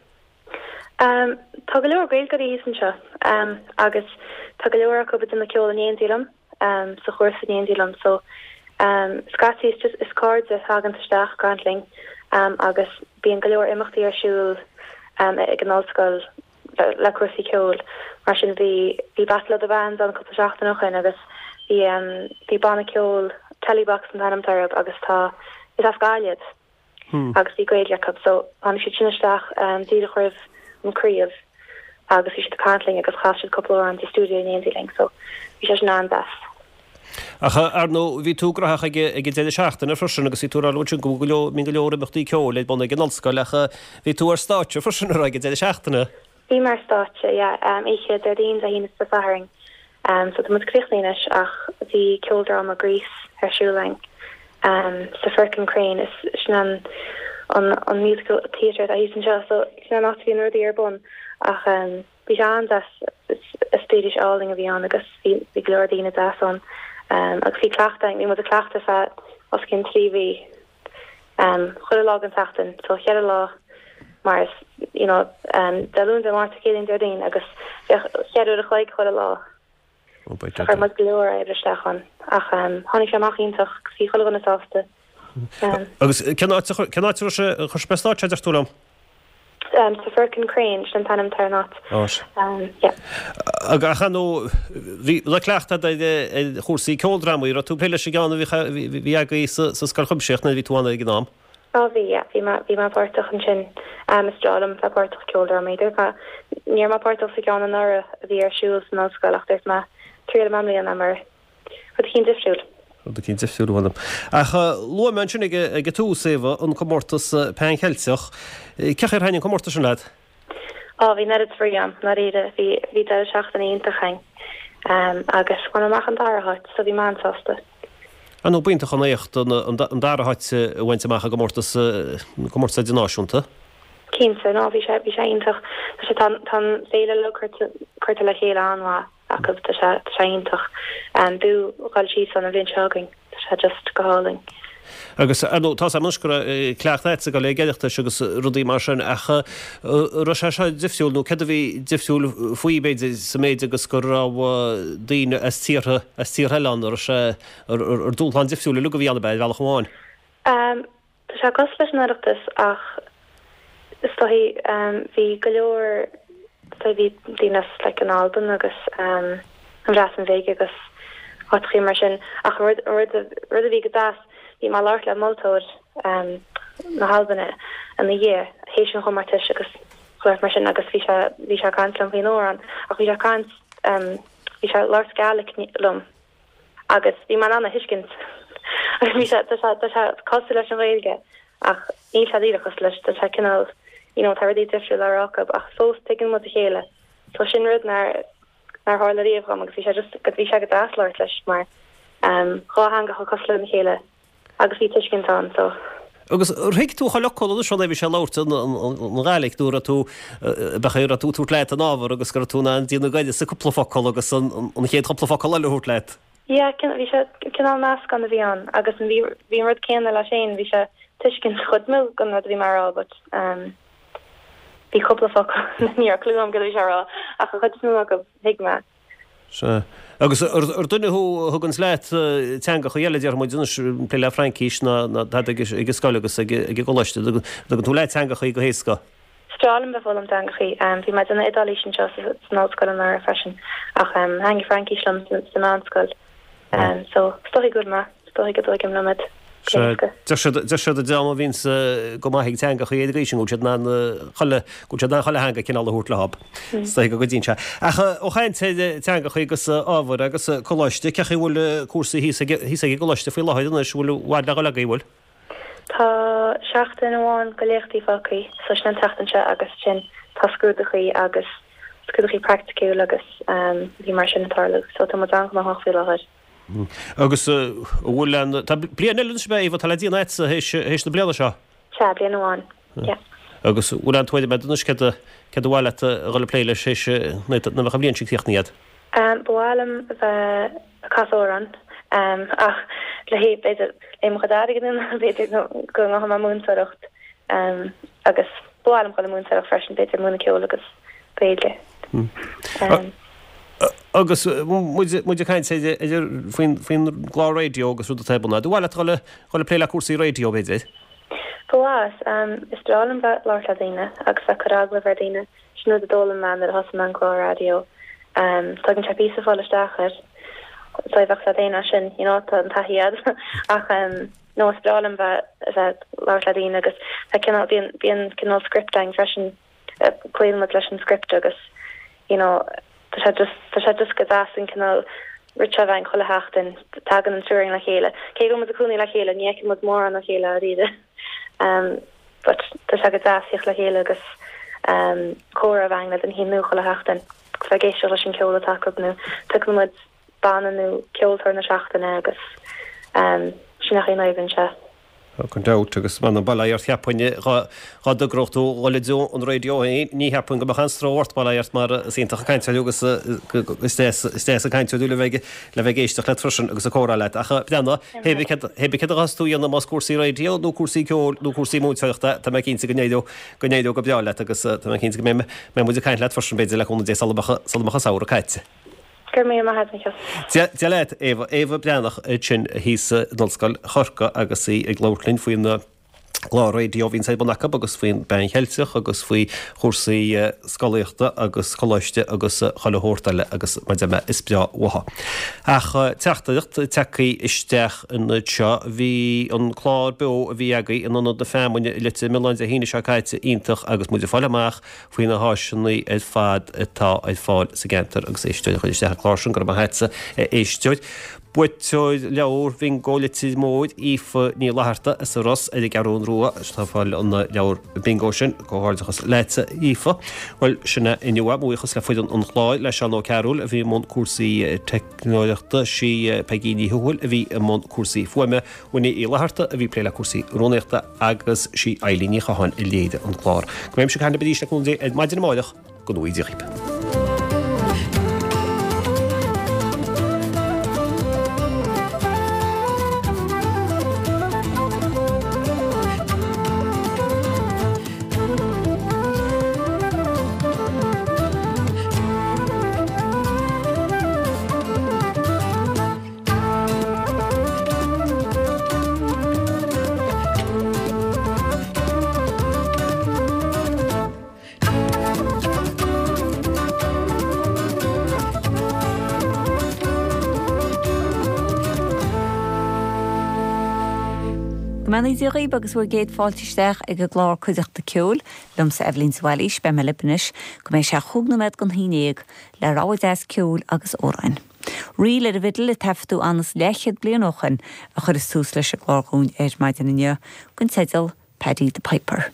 Tá go leor Gaeilgeoirí thíos anseo agus tá go leor acu ag déanamh ceoil in éindí liom, sa chúrsa in éindí liom so scaití is just is cairde a thagann isteach ag caint linn agus bíonn go leor imeachtaí ar siúl ag an ollscoil le cúrsaí ceoil mar sin bhí bhí Battle of the Bands ann cúpla seachtain ó shin agus bhí bhí banna ceoil Tellybox an t-ainm atá orthu agus tá is as Gaillimh iad. agus bhí Gaeilge acu so tháinig siad sin isteach díreach roimh an craobh agus bhí siad ag caint linn agus chas siad cúpla amhrán sa stiúideo in éindí linn so bhí sé sin an-deas. Ach ar ndóigh bhí tú gnóthach ag ag an deireadh seachtaine freisin agus bhí tú ag rá ansin go bhfuil go leor mbíonn go leor imeachtaí ceoil ar bun ag an ollscoil ach bhí tú ar stáitse freisin ar ag an deireadh seachtaine. Bhí mé ar stáitse yeah oíche Déardaoin Dé hAoine is Dé Sathairn so tá muid críochnaithe anois ach bhí ceoldráma Grease ar siúl againn sa Firkin Crane is sin an an an musical theatre atá thíos anseo so sin an áit a bhíonn rudaí ar bun ach bhí sé an-deas eispéireas álainn a bhí ann agus bhí bhí go leor daoine deas ann agus bhí cleachtadh bhí muid ag cleachtadh feadh os cionn trí mhí chuile lá den tseachtain so cheithre lá mar is you know Dé Luain Dé Máirt Céadaoin Déardaoin agus bheadh cheithre uair a chloig chuile lá. Chuir muid go leor oibre isteach ann ach tháinig sé amach iontach agus bhí chuile dhuine sásta. Agus cén áit a cén áit a raibh sé a chuir sibh ar stáitse a deir tú liom? Sa Firkin Crane, sin an t-ainm atá ar an áit. Yeah. Ach ar ndóigh bhí le cleachtadh ar ar chúrsaí ceoldrámaí, raibh tú ag plé leis an gceann a bhí bhí agaibh sa sa Scoil Chuimsitheach nuair a bhí tú ann ag an am? Á bhí, yeah, bhí mé bhí mé páirteach ansin. Is breá liom bheith páirteach i gceoldrámaí. Dúirt mé ní raibh mé páirteach sa gceann anuraidh a bhí ar siúl san ollscoil ach dúirt mé triailfidh mé i mbliana mar rud eicínt difriúil. Rud eicínt difriúil uaim. Ach luaigh mé ansin ag ag an tús, Éabha, an comórtas Pan Cheilteach. Cén chaoi ar thaitin an comórtas sin leat? Á bhí an oiread spraoi agam, ndáiríre. Bhí bhí deireadh seachtaine iontach againn agus bhain mé amach an dara háit so bhí mé an-sásta. Ar ndóigh b'iontach an éacht an dara háit a bhaint amach i gcomórtas comórtas idirnáisiúnta. Cinnte, no bhí sé bhí sé iontach. Tá sé tá tá an féile uilig curtha curtha le chéile an-mhaith acu, tá sé tá sé iontach. B'fhiú dhul síos ann an bhliain seo chugainn, tá sé just go hálainn. Agus ar ndóigh, tá 's agam anois go raibh cleachtadh agat ag dul ag Oireachtais agus rudaí mar sin ach an raibh sé seo difriúil nó céard a bhí difriúil faoi b'fhéidir sa méid agus go raibh daoine as tíortha as tíortha eile ann, an raibh sé ar dúshlán difriúil uilig a bhí ann ab ea ar bhealach amháin? Tá sé cosúil leis an Oireachtas ach is dóigh bhí go leor is dóigh bhí daoine as like an Albain agus an Bhreatain Bhig agus áiteachaí mar sin ach an rud an rud rud a bhí go deas bhí mé ag labhairt le moltóir na hAlban ina dhiaidh théis an chomórtais agus chuile shórt mar sin agus bhí sé bhí sé ag caint liom faoin amhrán ach bhí sé ag caint bhí sé ag labhairt Gaelic liom agus bhí mé in ann a thuiscint agus bhí sé tá sé tá sé cosúil leis an Ghaeilge ach níl sé díreach cosúil leis tá sé cineál you know tá rudaí difriúil á rá acu ach fós tuigeann muid a chéile so sin rud nár nár tharla riamh dhom agus bhí sé just go bhí sé go deas labhairt leis mar um dhá theanga chomh cosúil lena chéile agus bhí tuiscint ann so. Agus ar thuig tú chuile fhocal anois nuair a bhí sé ag labhairt an Ghàidhlig nó raibh tú b'fhéidir raibh tú ag tabhairt leat an ábhar agus go raibh tú in ann déanamh goireasa cúpla focal agus an an chéad chúpla focal eile a thabhairt leat. Yeah bhí sé cineál meascán a bhí ann agus bhí bhí an rud céanna leis féin bhí sé tuiscint chuid mó den rud a bhí mé a rá but um bhí cúpla focal ní raibh clue agam cad a bhí sé a rá ach an chuid is mó acu thuig mé. Sea. Agus ar duine thú a thuganns leat teangacha eile, déarfaidh muid anois, plé le Fraincis ná tada ag an scoil agus ag an gcoláiste, dtugann tú leat teangachaí go héasca? Is breá liom bheith ag foghlaim teangachaí. Bhí mé ag déanamh Iodáilís anseo san ollscoil anuraidh freisin ach thaitnigh Fraincis liom sa meánscoil. So is dóigh go bhfuil mé, is dóigh go dtuigim liom iad. Deir siad deir siad an dream a bhíonns go maith ag teangachaí ar an gcaoi sin go bhfuil siad in ann chuile go bhfuil siad in ann chuile theanga cineál a thabhairt leob. Is dóigh go gcuidíonn sé. Ach ó chaint ar teangachaí agus ábhair agus coláiste, cén chaoi a bhfuil cúrsaí thíos ag thíos ag an gcoláiste faoi láthair anois, bhfuil i bhfad le dhul agaibh, bhfuil? Tá seachtain amháin go léachtaí fágtha, so sin an tseachtain seo agus sin tá scrúdachaí agus scrúdachaí praiticiúil agus bhí mar sin ag tarlú, so tá muid an-ghnóthach faoi láthair. Agus an bhfuil an, tá bliain eile anois ab ea, Éabha, atá le déanamh agatsa théis, théis na bliana seo? Sea, bliain amháin, yeah. Agus an bhfuil aon tuairim agat anois céard a, céard ba mhaith leat a dhul ag plé leis théis, nuair a bheadh an bhliain sin críochnaithe agat? Ba mhaith liom a bheith ag casadh amhrán ach le b'fhéidir le mo chuid airgid nó b'fhéidir go ngabhfaidh mé múinteoireacht agus ba mhaith liom dhul ag múinteoireacht freisin b'fhéidir múineadh ceoil agus Gaeilge. Agus muid muid ag caint ar faoin faoin gclár raidió agus rud atá ar bun agat, ar mhaith leat dhul dhul ag plé le cúrsaí raidió b'fhéidir? Ba mhaith. Is breá liom bheith ag labhairt le daoine agus bheith ag cur agallamh ar daoine. Sin rud a d'fhoghlaim mé nuair a thosaigh mé an clár raidió. Tugann sé píosa fáil isteach air. So bheadh sé daonna sin, you know, tá an taithí agat. Ach no, is breá liom bheith bheith ag labhairt le daoine agus tá cineál bíonn bíonn cineál script againn freisin, cloíonn muid leis an script agus you know, tá sé just tá sé just go deas an cineál ritual a bheith againn chuile sheachtain, tagann an triúr againn le chéile. Cé go bhfuil muid ag cónaí le chéile, ní fheiceann muid mórán a chéile dáiríre. Um, but tá sé go deas tíocht le chéile agus um, comhrá a bheith againn le duine nua chuile sheachtain. Agus bheith ag éisteacht leis an ceol atá acu nó piocann muid banna nó ceoltóir na seachtaine agus um, sin é an oibreann sé. Gan dabht, agus m'anam bail ó Dhia ort cheapfainn dhá dtogródh tú dhul i dtreo an raidió féin, ní cheapfainn go mbeadh aon stró ort bail ó Dhia ort mar is iontach an cainteoir thú agus is deas is deas an cainteoir thú le bheith le bheith ag éisteacht leat freisin agus ag comhrá leat. Ach breathnaigh, hé bith céard hé bith céard a ghabhfas tú a dhéanamh más cúrsaí raidió nó cúrsaí ceoil nó cúrsaí múinteoireachta, tá mé cinnte go n-éireodh go n-éireodh go breá leat agus tá mé cinnte go mbeidh mbeidh muid ag caint leat freisin b'fhéidir le cúnamh Dé sula mbeadh sula mbeadh an samhradh caite. Go raibh míle maith agat, a Mhichíl. Dia leat, Éabha. Éabha Breathnach ansin thíos in Ollscoil Chorcaí agus í ag labhairt linn faoin gclár raidió a bhíonns ar bun acu agus faoin bPean Cheilteach agus faoi chúrsaí scolaíochta agus coláiste agus chuile shórt eile agus mar a deir mé is breá uathu. Ach teachtaireacht tagtha isteach anseo, bhí an clár beo a bhí agaibh in Ionad na Feamainne i Leitir Mealláin Dé hAoine seo caite iontach agus muid ag fáil amach faoi na háiseanna ar fad atá ar fáil sa gceantar agus éisteoir a chuir isteach an clár sin, go raibh maith agatsa a éisteoir. Buaiteoir leabhar Bhingo Leitir Móir, Aoife Ní Fhlatharta as an Ros ar an gCeathrú Rua, atá ag fáil an leabhar Bingo sin. Comhghairdeachas leatsa Aoife. Bhuel, sin é inniu é. Mo bhuíochas le foireann an chláir, le Seán Ó Cearúil a bhí i mbun cúrsaí teicneoireachta, sí Peigí Ní Thuathail a bhí i mbun cúrsaí fuaime, Winnie Uí Fhlatharta a bhí ag plé le cúrsaí rúnaíochta agus sí Eilín Ní Chatháin a léirigh an clár. Go mbeimse ag caint libh arís le cúnamh Dé ar maidin amárach, go ngnóthaí Dia dhaoibh. Go mbeannaí Dia dhaoibh agus bhur gcéad fáilte isteach ag an gclár Cuideachta Ceoil, liomsa Eibhlín de Bhailís, beidh mé libh anois go mbeidh sé chúig nóiméad don haon déag le rogha deas ceoil agus amhráin. Ríl ar an bhfidil a taifeadadh ann is leathchéad bliain ó shin a chuirfeas tús leis an gclár dhúinn ar maidin inniu, den teideal Paddy the Piper.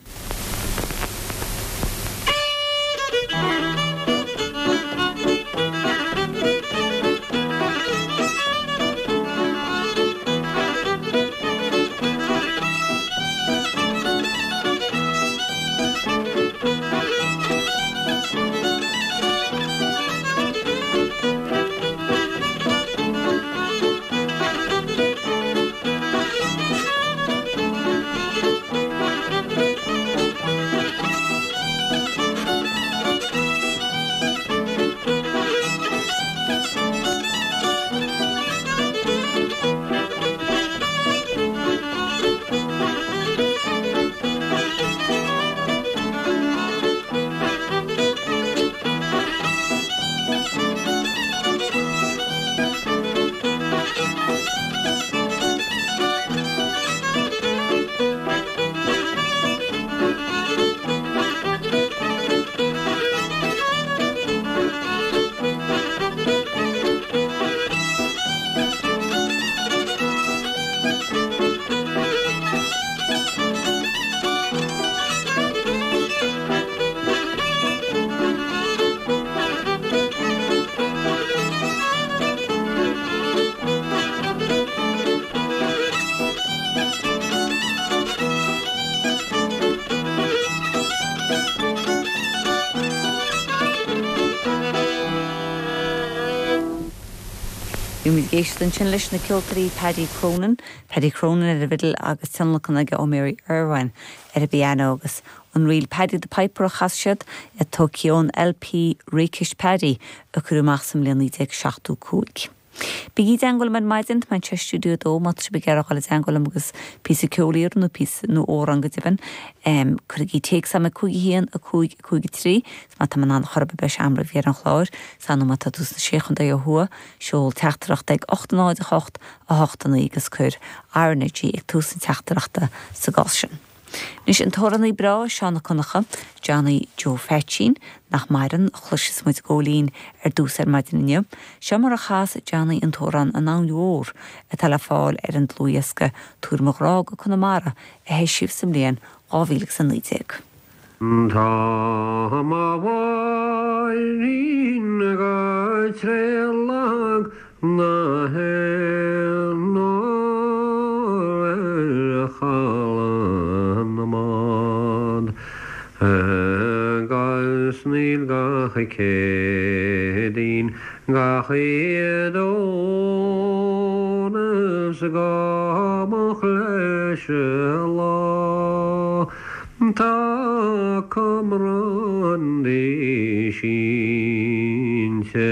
Bhí muid ag éisteacht ansin leis na ceoltóirí Paddy Cronin, Paddy Cronin ar an bhfidil agus tionlacan aige ó Mary Irwin ar an bpianó agus an ríl Paddy the Piper a chas siad tógtha ón LP Rakish Paddy a cuireadh amach sa mbliain naoi déag seachtó cúig. Bígí i dteagmháil liom ar maidin, tá mé anseo i stiúideo a dó má tá sibh ag iarraidh dul i dteagmháil liom agus píosa ceoil a iarraidh nó píosa nó amhrán go deimhin. Cuirigí téacs agam ag cúig a haon, a cúig, a cúig a trí, is má tá mé in ann chor ar bith beidh sé am roimh dheireadh an chláir, is nó má tá tú sna Sé Chontae ó thuaidh, seol teachtaireacht ag ocht a náid a hocht, a hocht a naoi agus cuir RnaG ag tús na teachtaireachta sa gcás sin. Anois an t-amhránaí breá Seán Ó Conchúir, Johnny Joe Pheaitsín, nach maireann, a chloisfeas muid ag gabháil fhoinn ar dtús ar maidin inniu. Seo mar a chas Johnny an t-amhrán An Abhainn Mhór atá le fáil ar an dlúthdhiosca Tabhair Mo Ghrá go Conamara a heisíodh sa mbliain dhá mhíle agus a naoi déag. Tá mo mháirín go tréad lag na héan ar chaladh na mbád Agus níl gach Céadaoin gach Aoine 's go moch leis an lá Tá cumrán di sínte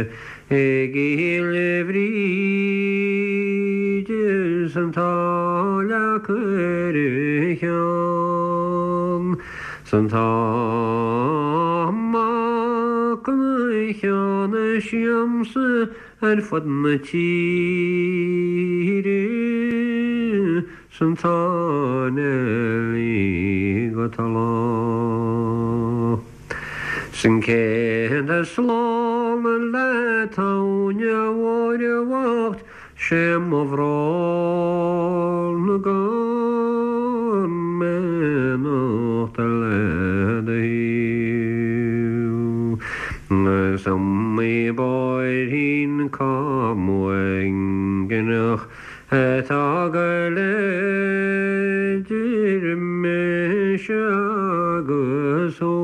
i gCill Bhríde 's an tá leac ar a cheann 's an tá mac an cheann siamsa ar fud na tíre 's an tá Neilí go talamh. 'S an céad slán leat abhainn mhór bhocht 'sé mo bhrón gan mé anocht le do thaobh. 'S iomaí bóithrín cam uaigneach atá go idir mise agus thú.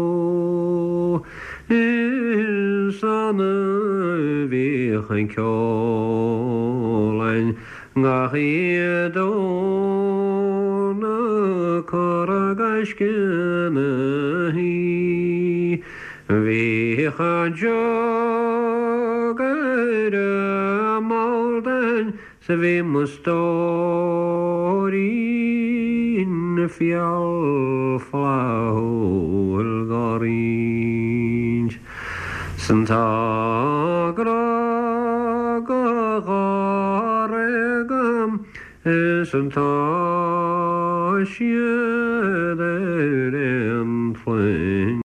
Is annamh a bhíodh an ceol againn gach oíche Domhnach cur i gaisce na shuí. Bhíodh an jug ar an mbord againn 's bhí mo stóirín fial flaithiúil dhá roinnt. 'S an tá grá go dháréag agam is an tá siad ar